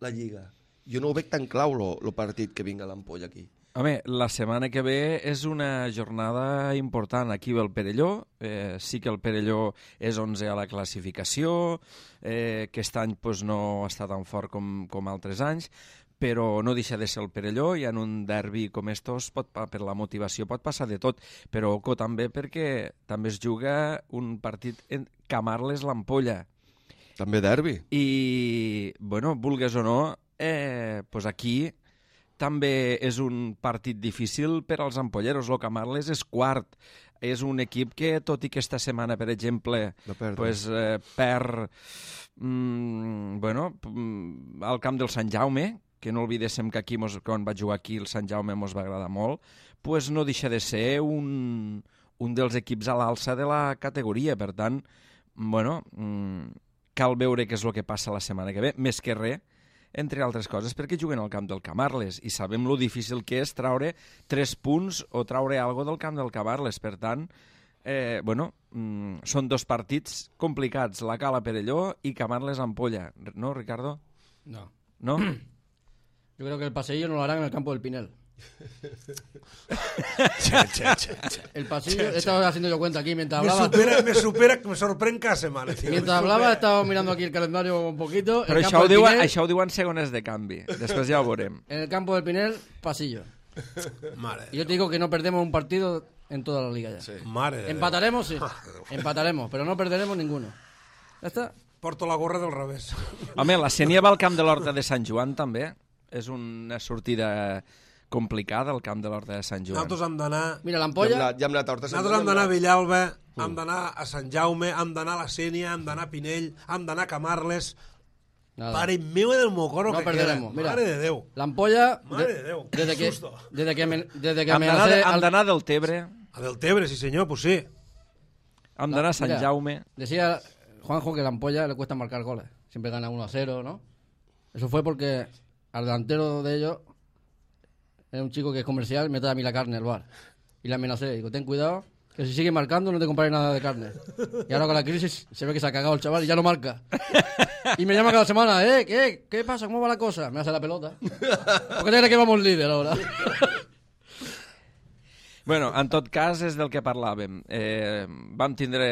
Speaker 4: la Lliga. Jo no ho veig tan clau, el partit que vinga l'Ampolla aquí.
Speaker 1: Home, la setmana que ve és una jornada important. Aquí ve el Perelló, eh, sí que el Perelló és onze a la classificació, eh, aquest any pues, no està tan fort com, com altres anys, però no deixa de ser el Perelló i en un derbi com estos, pot, per la motivació, pot passar de tot. Però oco també perquè també es juga un partit en Camarles-l'Ampolla.
Speaker 4: També derbi.
Speaker 1: I, bueno, vulgues o no, eh, pues aquí també és un partit difícil per als ampolleros. El Camarles és quart. És un equip que, tot i que esta setmana, per exemple, pues, eh, perd mm, bueno, al camp del Sant Jaume, que no oblidéssim que aquí, mos, quan vaig jugar aquí, el Sant Jaume mos va agradar molt, pues no deixa de ser un, un dels equips a l'alça de la categoria. Per tant, bueno, mm, cal veure què és el que passa la setmana que ve, més que res, entre altres coses, perquè juguen al camp del Camarles i sabem lo difícil que és traure tres punts o traure alguna del camp del Camarles. Per tant, eh, bueno, mm, són dos partits complicats, la Cala Perelló i Camarles-Ampolla. ¿No, Ricardo?
Speaker 2: No.
Speaker 1: ¿No?
Speaker 2: Yo creo que el paseillo no lo harán en el campo del Pinel.
Speaker 3: Che, che, che, che.
Speaker 2: El pasillo, he estado haciendo yo cuenta aquí mientras
Speaker 3: Me
Speaker 2: hablaba.
Speaker 3: supera, me supera, me sorprèn cada setmana. Tío.
Speaker 2: Mientras hablaba he estado mirando aquí el calendario un poquito.
Speaker 1: Però
Speaker 2: El
Speaker 1: això
Speaker 2: campo
Speaker 1: ho,
Speaker 2: del
Speaker 1: diuen,
Speaker 2: Pinel,
Speaker 1: això ho diuen segones de canvi. Després ja ho veurem.
Speaker 2: En el campo del Pinel, pasillo.
Speaker 3: Mare
Speaker 2: Y yo te digo que no perdemos un partido en toda la liga ya.
Speaker 4: Sí.
Speaker 3: Mare de
Speaker 2: Empataremos, sí. Empataremos, pero no perderemos ninguno. Ya está.
Speaker 3: Porto la gorra del revés.
Speaker 1: Home, la Sénia va al camp de l'Horta de Sant Joan, també. És una sortida complicada, al camp de l'Horta de Sant Joan.
Speaker 3: Nosaltres hem d'anar...
Speaker 2: Mira,
Speaker 4: Ja hem
Speaker 2: l'ampolla...
Speaker 4: anat, ja hem anat a Horta Sant
Speaker 3: Nosaltres hem
Speaker 4: Joan,
Speaker 3: d'anar a
Speaker 4: hem
Speaker 3: Villalba, hem d'anar a Sant Jaume, hem d'anar a la Sénia, hem d'anar a Pinell, hem d'anar a Camarles.
Speaker 2: Nada.
Speaker 3: Pare meu del mocoro
Speaker 2: No
Speaker 3: que
Speaker 2: perderemos,
Speaker 3: queda.
Speaker 2: mira.
Speaker 3: Mare de Déu.
Speaker 2: La ampolla...
Speaker 3: Mare de Déu, qué
Speaker 2: Desde que,
Speaker 3: susto.
Speaker 2: desde que, me, desde que
Speaker 1: Hem d'anar
Speaker 2: amenacé...
Speaker 1: de- hem
Speaker 2: al-
Speaker 1: d'anar del Tebre,
Speaker 3: A Deltebre, sí senyor, pues sí.
Speaker 1: hem d'anar a Sant
Speaker 2: Mira,
Speaker 1: Jaume.
Speaker 2: Decía Juanjo que la ampolla le cuesta marcar goles. Siempre gana uno a cero, ¿no? Eso fue porque al delantero de ellos era un chico que es comercial, me trae a mí la carne al bar. Y le amenacé, digo, ten cuidado, que si sigue marcando no te compraré nada de carne. Y ahora con la crisis se ve que se ha cagado el chaval y ya no marca. Y me llama cada semana, ¿eh? ¿Qué? ¿Qué pasa? ¿Cómo va la cosa? Me hace la pelota. ¿Por qué te crees que vamos líder ahora?
Speaker 1: Bueno, en tot cas, és del que parlàvem. Eh, vam tindre...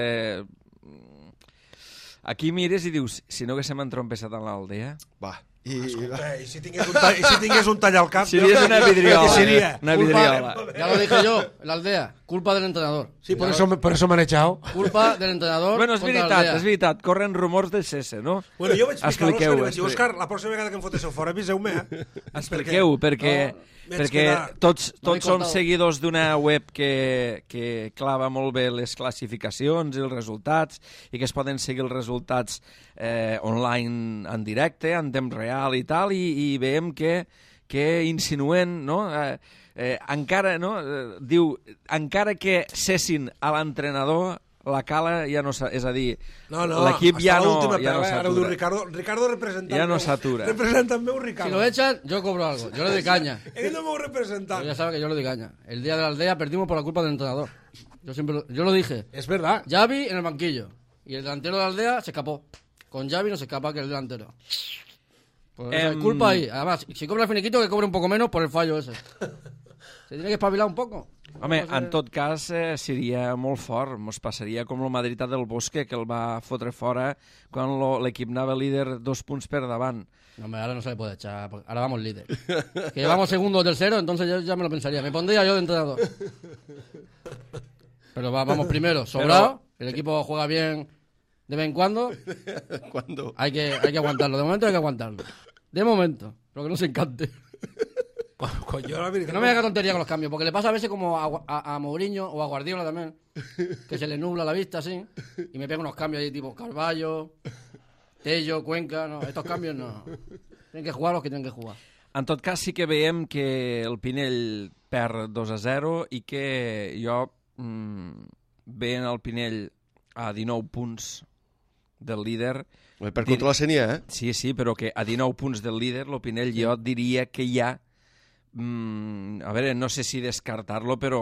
Speaker 1: Aquí mires i dius, si no haguéssim entrompessat en l'aldea...
Speaker 4: Va. I,
Speaker 3: Escolta, i si tingués un tall, i si tingués un tall al cap...
Speaker 1: Series una vidriola.
Speaker 3: Què seria?
Speaker 1: Una
Speaker 2: Culpa-
Speaker 1: vidriola.
Speaker 2: Ya lo dije yo, en la aldea. Culpa del entrenador.
Speaker 3: Sí, por eso, me- por eso me han echado.
Speaker 2: Culpa del entrenador.
Speaker 1: Bueno, és
Speaker 2: contra la
Speaker 1: veritat,
Speaker 2: aldea.
Speaker 1: és veritat. Corren rumors de cese, no?
Speaker 3: Bueno, jo vaig explicar a l'Òscar i
Speaker 1: Expliqueu-ho,
Speaker 3: vaig dir,
Speaker 1: expli-
Speaker 3: Òscar, la pròxima vegada que em fotéssiu fora, aviseu-me, eh?
Speaker 1: Expliqueu, perquè,
Speaker 3: No, vaig
Speaker 1: perquè
Speaker 3: quedar-
Speaker 1: tots,
Speaker 2: No
Speaker 1: tots
Speaker 2: m'he
Speaker 1: som
Speaker 2: contado.
Speaker 1: seguidors d'una web que, que clava molt bé les classificacions i els resultats i que es poden seguir els resultats eh, online en directe, en temps real i tal, i, i veiem que, que insinuen, no?, eh, eh, encara, no?, eh, diu, encara que cessin a l'entrenador, la cala ja no s'ha... És a dir,
Speaker 3: No, no,
Speaker 1: l'equip ja
Speaker 3: hasta
Speaker 1: no,
Speaker 3: l'última
Speaker 1: ja no
Speaker 3: pela, ara ho diu
Speaker 1: s'atura.
Speaker 3: Ricardo. Ricardo representant
Speaker 1: Ja no
Speaker 3: meu.
Speaker 1: s'atura.
Speaker 3: Representant meu, Ricardo.
Speaker 2: Si lo echan, yo cobro algo. Yo le doy caña.
Speaker 3: Ell no meu
Speaker 2: Pero
Speaker 3: representant.
Speaker 2: ya sabe que yo le doy caña. El día de la aldea perdimos por la culpa del entrenador. Yo siempre lo, yo lo dije.
Speaker 3: És verdad.
Speaker 2: Xavi en el banquillo. Y el delantero de la aldea se escapó. Con Xavi no se escapa que el delantero. Pues esa
Speaker 1: Em,
Speaker 2: es culpa ahí. Además, si cobra el finiquito, que cobre un poco menos por el fallo ese. Se tiene que espabilar un poco.
Speaker 1: Home,
Speaker 2: No sé.
Speaker 1: en tot cas, eh, seria molt fort. Mos passaria com el Madrid del Bosque, que el va fotre fora quan lo- l'equip anava líder dos punts per davant.
Speaker 2: No, hombre, ahora no se le puede echar. porque Ahora vamos líder. Que llevamos segundo o tercero, entonces yo ya me lo pensaría. Me pondría yo de entrenador. Pero va- vamos primero, sobrado. El equipo juega bien de vez en cuando.
Speaker 4: Cuando...
Speaker 2: Hay que, hay que aguantarlo. De momento hay que aguantarlo. De momento. Pero que no se encante.
Speaker 3: Coño, la
Speaker 2: Que
Speaker 3: veritat.
Speaker 2: no me haga tontería con los cambios. Porque le pasa a veces como a, a, a Mourinho o a Guardiola también. Que se le nubla la vista así. Y me pega unos cambios ahí tipo Carballo, Tello, Cuenca. No, estos cambios no. Tienen que jugar los que tienen que jugar.
Speaker 1: En tot cas, sí que veiem que el Pinell perd dos a zero i que jo, mm, veient el Pinell a dinou punts del líder...
Speaker 4: Per contra la Sènia, eh?
Speaker 1: Sí, sí, però que a dinou punts del líder, el Pinell jo diria que ja... Mm, a veure, no sé si descartar-lo, però,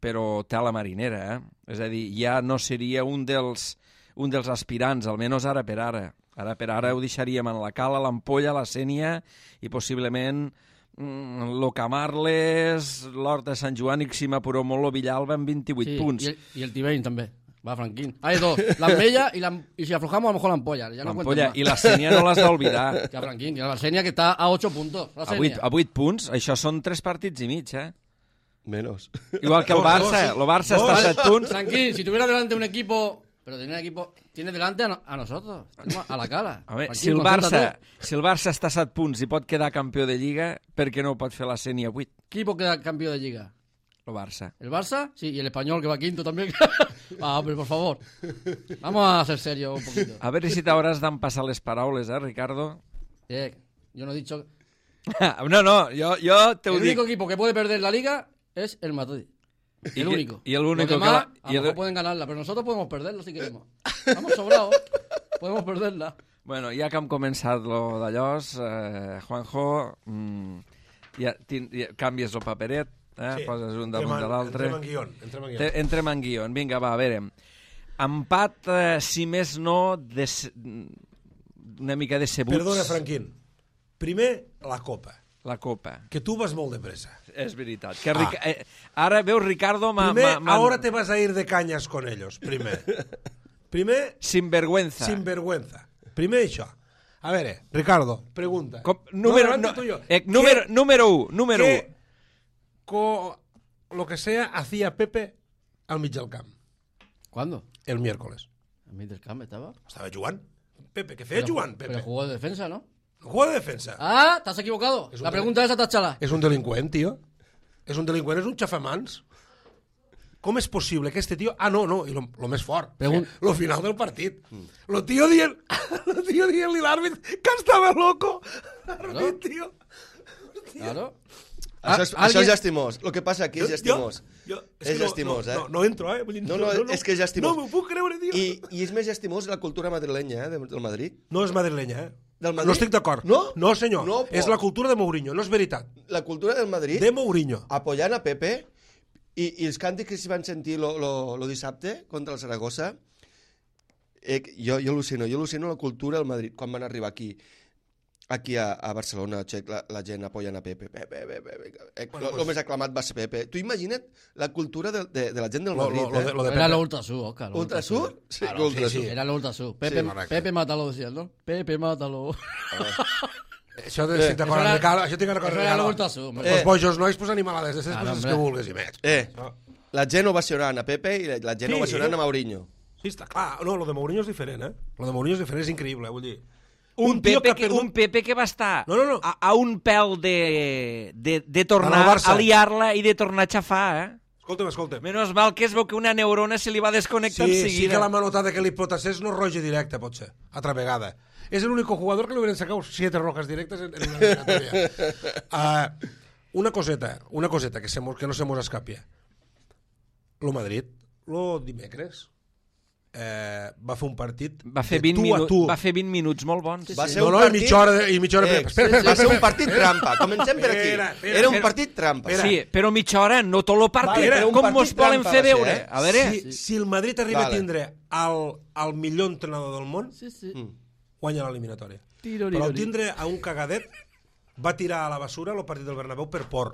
Speaker 1: però té a la marinera, eh? És a dir, ja no seria un dels, un dels aspirants, almenys ara per ara. Ara per ara ho deixaríem en la Cala, l'Ampolla, la Sènia i possiblement mm, lo Camarles, l'Horta de Sant Joan i Xima Puró Molo Villalba amb vint-i-vuit
Speaker 2: Sí,
Speaker 1: punts.
Speaker 2: Y el, y el Tibain también. Va, Franquín. Hay dos. La Mella y, la, y si aflojamos, a lo mejor la Ampolla. Ya no
Speaker 1: L'Ampolla
Speaker 2: cuenten
Speaker 1: i
Speaker 2: más.
Speaker 1: la Sènia no l'has d'oblidar.
Speaker 2: Que a Franquín, que la Senia que está a ocho puntos. La
Speaker 1: A vuit,
Speaker 2: Senia.
Speaker 1: a vuit punts, això són tres partits i mig, eh?
Speaker 4: Menos.
Speaker 1: Igual que el
Speaker 3: Dos, dos,
Speaker 1: Barça,
Speaker 3: sí.
Speaker 1: el Barça està a
Speaker 3: Dos.
Speaker 1: set punts.
Speaker 2: Franquín, si tuviera delante un equipo... Pero tiene un equipo... Tiene delante a, no- a nosotros. A la Cala.
Speaker 1: Home,
Speaker 2: Franquín,
Speaker 1: si el,
Speaker 2: concéntrate.
Speaker 1: Barça, si el Barça està a set punts i pot quedar campió de Lliga, per què no ho pot fer la Sènia a vuit?
Speaker 2: ¿Qué equipo queda campeón de Liga?
Speaker 1: El Barça.
Speaker 2: ¿El Barça? Sí, y el Español que va quinto también. Ah, pero por favor. Vamos a ser serios un poquito.
Speaker 1: A veure si t'hauràs d'empassar les paraules, eh, Ricardo?
Speaker 2: Eh, yo no he dicho...
Speaker 1: No, no, jo, jo te ho
Speaker 2: El
Speaker 1: dic.
Speaker 2: único equipo que puede perder la Liga es el Madrid.
Speaker 1: Y
Speaker 2: El
Speaker 1: que-
Speaker 2: único.
Speaker 1: y el único
Speaker 2: Los
Speaker 1: que
Speaker 2: demás,
Speaker 1: la-
Speaker 2: a
Speaker 1: y
Speaker 2: lo
Speaker 1: el-
Speaker 2: mejor pueden ganarla, pero nosotros podemos perderla si queremos. Estamos sobrados. Podemos perderla.
Speaker 1: Bueno, ja que hem començat lo d'allòs, eh, Juanjo, mm, ja, tin, ja canvies el paperet, eh, sí, poses un damunt de l'altre.
Speaker 3: Entrem en guion. Entrem en guion.
Speaker 1: Te- Entrem en guion. Vinga, va, a veure. Empat, eh, si més no, de, se- una mica de cebuts.
Speaker 3: Perdona, Franquín. Primer, la Copa.
Speaker 1: La Copa.
Speaker 3: Que tu vas molt de pressa.
Speaker 1: És veritat. Que Ric... eh, ara, veus, Ricardo... m'ha-
Speaker 3: Primer,
Speaker 1: m'ha- m'ha-
Speaker 3: ahora te vas a ir de cañas con ellos. Primer. Primer,
Speaker 1: Sinvergüenza.
Speaker 3: sinvergüenza. Primer això. A veure, Ricardo, pregunta.
Speaker 1: Com, número,
Speaker 3: no,
Speaker 1: no,
Speaker 3: no, tuyo.
Speaker 1: eh, número,
Speaker 3: ¿Qué-
Speaker 1: número u, número
Speaker 3: qué
Speaker 1: u.
Speaker 3: co- lo que sea hacía Pepe al mig del camp
Speaker 2: ¿Cuándo?
Speaker 3: el miércoles?
Speaker 2: ¿En Middlecamp estaba?
Speaker 3: Estava jugant. Pepe, què feia jugant, Pepe?
Speaker 2: Pero jugó de defensa, ¿no?
Speaker 3: No juega de defensa.
Speaker 2: Ah, te has equivocado.
Speaker 3: Es un
Speaker 2: La
Speaker 3: tele-
Speaker 2: pregunta esa, tachala.
Speaker 3: És un delinqüent, tio. És un delinqüent, és un xafamans. Com és possible que este tio... Ah, no, no, i lo, lo més fort.
Speaker 2: Pregun-
Speaker 3: Lo final del partit. Lo tio dient... Lo tio dient-li l'àrbit que estava loco. L'àrbit, tio.
Speaker 2: Claro.
Speaker 4: Això, és,
Speaker 2: Ah,
Speaker 4: això és
Speaker 2: alguien-
Speaker 4: llastimós. El que passa aquí és llastimós.
Speaker 3: Jo, jo,
Speaker 4: És
Speaker 3: que
Speaker 4: llastimós,
Speaker 3: no,
Speaker 4: eh?
Speaker 3: No, no entro, eh? Vull dir,
Speaker 4: No, no, és que és llastimós.
Speaker 3: No m'ho puc creure, tio.
Speaker 4: I, I és més llastimós la cultura madrilenya, eh, de- del Madrid.
Speaker 3: No és madrilenya, eh?
Speaker 4: Del Madrid?
Speaker 3: No estic d'acord.
Speaker 4: No?
Speaker 3: No, senyor.
Speaker 4: No,
Speaker 3: és
Speaker 4: por-
Speaker 3: la cultura de Mourinho, no és veritat.
Speaker 4: La cultura del Madrid,
Speaker 3: De Mourinho.
Speaker 4: apoyant a Pepe, i, i els càntics que s'hi van sentir lo, lo, lo dissabte contra el Saragossa, eh, jo, jo al·lucino, jo al·lucino la cultura del Madrid, quan van arribar aquí, aquí a, a Barcelona, xec, la, la gent apoyant a Pepe. Pepe, Pepe, Pepe. Eh,
Speaker 3: Bueno,
Speaker 4: lo,
Speaker 3: pues-
Speaker 4: lo més aclamat va ser Pepe. Tu imagina't la cultura de, de, de la gent del
Speaker 3: Lo,
Speaker 4: Madrid,
Speaker 3: lo, lo, de,
Speaker 4: eh?
Speaker 3: lo de
Speaker 2: Era
Speaker 3: Pepe.
Speaker 2: lo Ultrasur, Oscar. lo
Speaker 4: Ultrasur? Sí,
Speaker 3: Claro,
Speaker 4: Ultrasur.
Speaker 3: sí, sí.
Speaker 2: Era lo Ultrasur. Pepe,
Speaker 3: Sí, correcte.
Speaker 2: Pepe mátalo, decían, ¿no? Pepe mátalo.
Speaker 3: Això de, estic d'acord
Speaker 2: Eso
Speaker 3: amb
Speaker 2: era-
Speaker 3: Ricardo. Això tinc d'acord
Speaker 2: eso
Speaker 3: amb
Speaker 2: era
Speaker 3: Ricardo.
Speaker 2: lo Ultrasur. hombre.
Speaker 3: Els
Speaker 4: Eh.
Speaker 3: bojos nois, pues animalades, de les
Speaker 2: Claro,
Speaker 3: coses
Speaker 2: hombre.
Speaker 3: que vulguis i més.
Speaker 4: Eh,
Speaker 3: No.
Speaker 4: la gent ovacionant a Pepe i la, la gent
Speaker 3: Sí.
Speaker 4: ovacionant a Mourinho.
Speaker 3: Sí, està clar. No, lo de Mourinho és diferent, eh? Lo de Mourinho és diferent, és increïble, vull dir.
Speaker 1: Un,
Speaker 3: tio
Speaker 1: Pepe
Speaker 3: ha
Speaker 1: que,
Speaker 3: perdut-
Speaker 1: un Pepe que va estar
Speaker 3: No, no, no.
Speaker 1: A, a un pèl de, de, de
Speaker 3: En
Speaker 1: tornar
Speaker 3: el Barça.
Speaker 1: a liar-la i de tornar a xafar, eh?
Speaker 3: Escolta'm, escolta'm.
Speaker 1: Menos mal que es veu que una neurona se li va desconnectar
Speaker 3: Sí,
Speaker 1: en
Speaker 3: sí
Speaker 1: seguida.
Speaker 3: que la manotada que li potassés no és roja directa, potser, altra vegada. És l'únic jugador que li hauran sacat siete rojas directes en, en una eliminatòria. uh, una coseta, una coseta que, se, mos- que no se mos escapia. Lo Madrid, lo dimecres, eh, va fer un partit
Speaker 1: Va fer,
Speaker 3: de
Speaker 1: vint
Speaker 3: tu a
Speaker 1: minuts,
Speaker 3: tu.
Speaker 1: va fer vint minuts molt bons.
Speaker 4: Va
Speaker 3: Sí,
Speaker 4: ser
Speaker 3: no,
Speaker 4: un
Speaker 3: no,
Speaker 4: partit...
Speaker 3: i mitja hora, de, i mitja hora...
Speaker 4: Eh,
Speaker 3: espera, espera,
Speaker 4: va ser
Speaker 3: espera,
Speaker 4: un partit trampa. Comencem per aquí.
Speaker 3: Espera, espera,
Speaker 4: Era un
Speaker 3: espera.
Speaker 4: partit trampa.
Speaker 1: Sí, però mitja hora, no tot el partit.
Speaker 3: Vale, era
Speaker 4: un
Speaker 1: Com
Speaker 4: partit
Speaker 1: mos volen
Speaker 4: trampa
Speaker 1: fer
Speaker 4: va ser,
Speaker 1: veure?
Speaker 4: eh?
Speaker 1: A veure...
Speaker 3: Si, si el Madrid arriba
Speaker 4: Vale.
Speaker 3: a tindre el, el millor entrenador del món,
Speaker 2: Sí, sí.
Speaker 4: Mm.
Speaker 3: guanya l'eliminatòria.
Speaker 2: Tirori,
Speaker 3: Però al
Speaker 2: tirori.
Speaker 3: tindre a un cagadet, va tirar a la basura el partit del Bernabéu per por.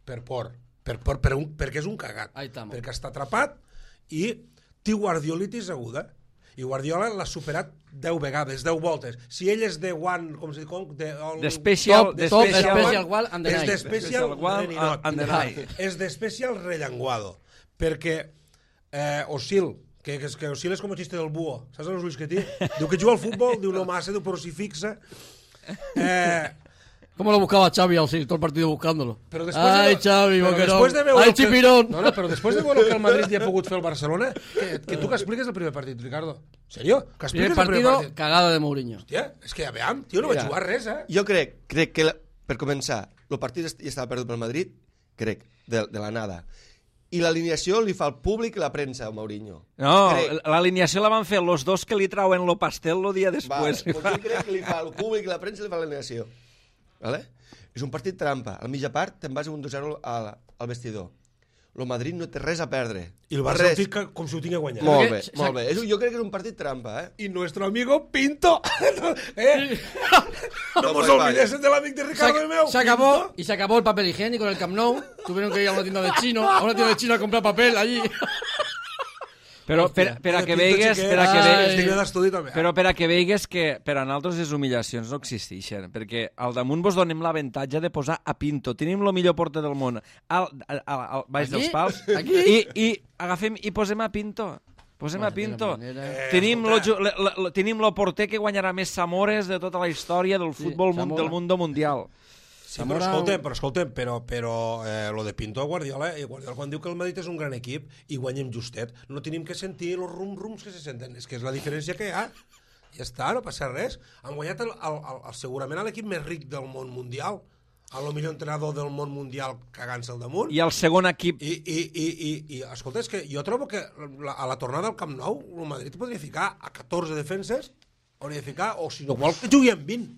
Speaker 3: Per por. Per por per un, perquè és un cagat.
Speaker 2: Ahí estamos.
Speaker 3: Perquè està atrapat i té guardiolitis aguda. I Guardiola l'ha superat deu vegades, deu voltes. Si ell és de one, com se diu? De, el,
Speaker 1: De special-
Speaker 3: top,
Speaker 1: de
Speaker 2: top,
Speaker 1: special
Speaker 2: special one and the
Speaker 3: és
Speaker 2: night.
Speaker 3: de special,
Speaker 1: Special one
Speaker 3: ready not.
Speaker 1: and the night.
Speaker 3: És de special rellenguado. Perquè eh, Osil, que, que, que Osil és com el xiste del búho, saps els ulls que té? Diu que juga al futbol, diu no massa, diu però si fixa. Eh,
Speaker 2: ¿Cómo lo buscaba Xavi Ausil todo el partido buscándolo?
Speaker 3: Però després
Speaker 2: Ay,
Speaker 3: de,
Speaker 2: Xavi,
Speaker 3: però
Speaker 2: boquerón.
Speaker 3: després de veure
Speaker 2: Ay,
Speaker 3: el que-
Speaker 2: chipirón.
Speaker 3: No, no, però després de veure el que el Madrid li ha pogut fer al Barcelona, que, que tu que expliques el primer partit, Ricardo. ¿En serio? Que
Speaker 2: Primer
Speaker 3: expliques el primer
Speaker 2: partido,
Speaker 3: partit.
Speaker 2: cagada de Mourinho.
Speaker 3: Hòstia, és que, aviam, tio, no vaig
Speaker 4: Mira,
Speaker 3: jugar res, eh?
Speaker 4: Jo crec, crec que, la, per començar, el partit est- ja estava perdut pel Madrid, crec, de, de la nada. I l'alineació li fa el públic i la premsa, a Mourinho.
Speaker 1: No,
Speaker 4: Crec.
Speaker 1: l'alineació la van fer los dos que li trauen lo pastel el dia després.
Speaker 4: Vale, doncs jo crec que li fa el públic i la premsa li fa l'alineació. Vale? És un partit trampa. A la mitja part te'n vas un dos zero al, al vestidor. El Madrid no té res a perdre.
Speaker 3: I el Barça
Speaker 4: Res.
Speaker 3: ho fica com si ho tingués guanyat.
Speaker 4: Molt bé,
Speaker 2: Perquè-
Speaker 4: molt bé. És, jo crec que és un partit trampa, eh?
Speaker 3: Y nuestro amigo Pinto. ¿Eh? No
Speaker 4: No,
Speaker 3: nos
Speaker 4: pues vaya.
Speaker 3: olvides del amigo de
Speaker 2: Se,
Speaker 3: Ricardo
Speaker 2: ac-
Speaker 3: Meu.
Speaker 2: se acabó y se acabó el papel higiénico en el Camp Nou. Tuvieron que ir a una tienda de chino, a una tienda de chino a comprar papel allí.
Speaker 1: Però per, per a que
Speaker 3: Pinto
Speaker 1: veigues,
Speaker 3: xiquet.
Speaker 1: per a que
Speaker 3: Ai,
Speaker 1: veigues,
Speaker 3: és digne d'estudi també.
Speaker 1: però per a que veigues que per a nosaltres les humiliacions no existeixen, perquè al damunt vos donem l'avantatge de posar a Pinto. Tenim el millor porter del món al, al, al, al baix
Speaker 2: Aquí?
Speaker 1: dels pals
Speaker 2: Aquí?
Speaker 1: i, i agafem i posem a Pinto. Posem
Speaker 2: Bueno,
Speaker 1: a Pinto.
Speaker 2: de quina manera.
Speaker 1: Tenim
Speaker 3: Eh,
Speaker 1: lo,
Speaker 3: escolta.
Speaker 1: ju- le- le- le- tenim lo porter que guanyarà més Samores de tota la història del
Speaker 2: Sí,
Speaker 1: futbol mun-
Speaker 2: Zamora.
Speaker 1: del mundo mundial.
Speaker 3: Sí, però
Speaker 2: Zamora-
Speaker 3: escolta'm, però, escolta'm, però, però eh, lo de Pinto a Guardiola, eh, Guardiola quan diu que el Madrid és un gran equip i guanyem justet, no tenim que sentir els rum-rums que se senten, és que és la diferència que hi ha. Ja està, no passa res. Han guanyat el, el, el, el, segurament l'equip més ric del món mundial, el millor entrenador del món mundial cagant-se al damunt.
Speaker 1: I el segon equip...
Speaker 3: I, i, i, i, i escolta, és que jo trobo que la, a la tornada al Camp Nou el Madrid podria ficar a catorze defenses, hauria de ficar, o si no vol que jugui amb vint.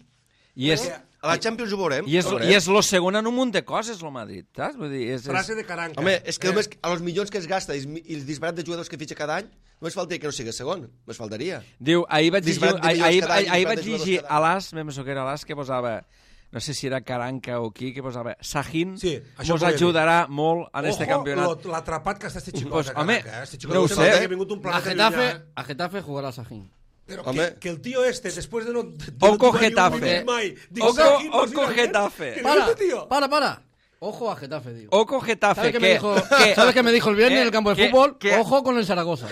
Speaker 1: I és,
Speaker 3: Perquè-
Speaker 4: A la Champions ho veurem.
Speaker 1: i és,
Speaker 4: ho veurem.
Speaker 1: i és lo segon en un munt de coses, el Madrid, saps? Vull dir, és, és...
Speaker 3: Frase de Caranca.
Speaker 4: Home, és que
Speaker 3: Eh,
Speaker 4: només a los milions que es gasta i, els- i el disbarat de jugadors que fitxa cada any, només faltaria que no sigui segon, només faltaria.
Speaker 1: Diu, ahir vaig llegir,
Speaker 4: Disbarat de
Speaker 1: ahir,
Speaker 4: milions
Speaker 1: ahir,
Speaker 4: cada any,
Speaker 1: ahir, ahir
Speaker 4: disbarat
Speaker 1: vaig
Speaker 4: de jugadors
Speaker 1: llegir
Speaker 4: cada any.
Speaker 1: a l'As, me penso que era l'As, que posava, no sé si era Caranca o qui, que posava, Sahin
Speaker 3: Sí, això
Speaker 1: mos
Speaker 3: volia dir.
Speaker 1: ajudarà molt en este
Speaker 3: Ojo,
Speaker 1: campionat.
Speaker 3: lo- l'atrapat que està este xicot,
Speaker 1: Pues,
Speaker 3: de
Speaker 1: home,
Speaker 3: Caranca, eh? Este xicot
Speaker 1: no ho
Speaker 3: sembla
Speaker 1: sé.
Speaker 3: que ha vingut un
Speaker 2: A
Speaker 3: planeta
Speaker 2: Getafe,
Speaker 3: llunyà, eh?
Speaker 2: a Getafe jugará Sajín.
Speaker 3: Però
Speaker 4: Home.
Speaker 3: que, que el tío este, después de no... De
Speaker 1: Oco
Speaker 3: no jugar ni un
Speaker 1: Getafe.
Speaker 3: minut mai, dic,
Speaker 1: Oco-
Speaker 3: Sahin, no
Speaker 1: oco
Speaker 3: sé què.
Speaker 1: Getafe.
Speaker 3: ¿Qué
Speaker 2: Para,
Speaker 3: dice, tío?
Speaker 2: para, para. Ojo a Getafe, digo.
Speaker 1: Oco Getafe,
Speaker 2: ¿Sabes qué
Speaker 1: que,
Speaker 2: me dijo,
Speaker 1: que-
Speaker 2: ¿sabes qué me dijo el viernes
Speaker 1: que-
Speaker 2: en el campo de
Speaker 1: que-
Speaker 2: fútbol?
Speaker 1: que-
Speaker 2: Ojo con el Zaragoza.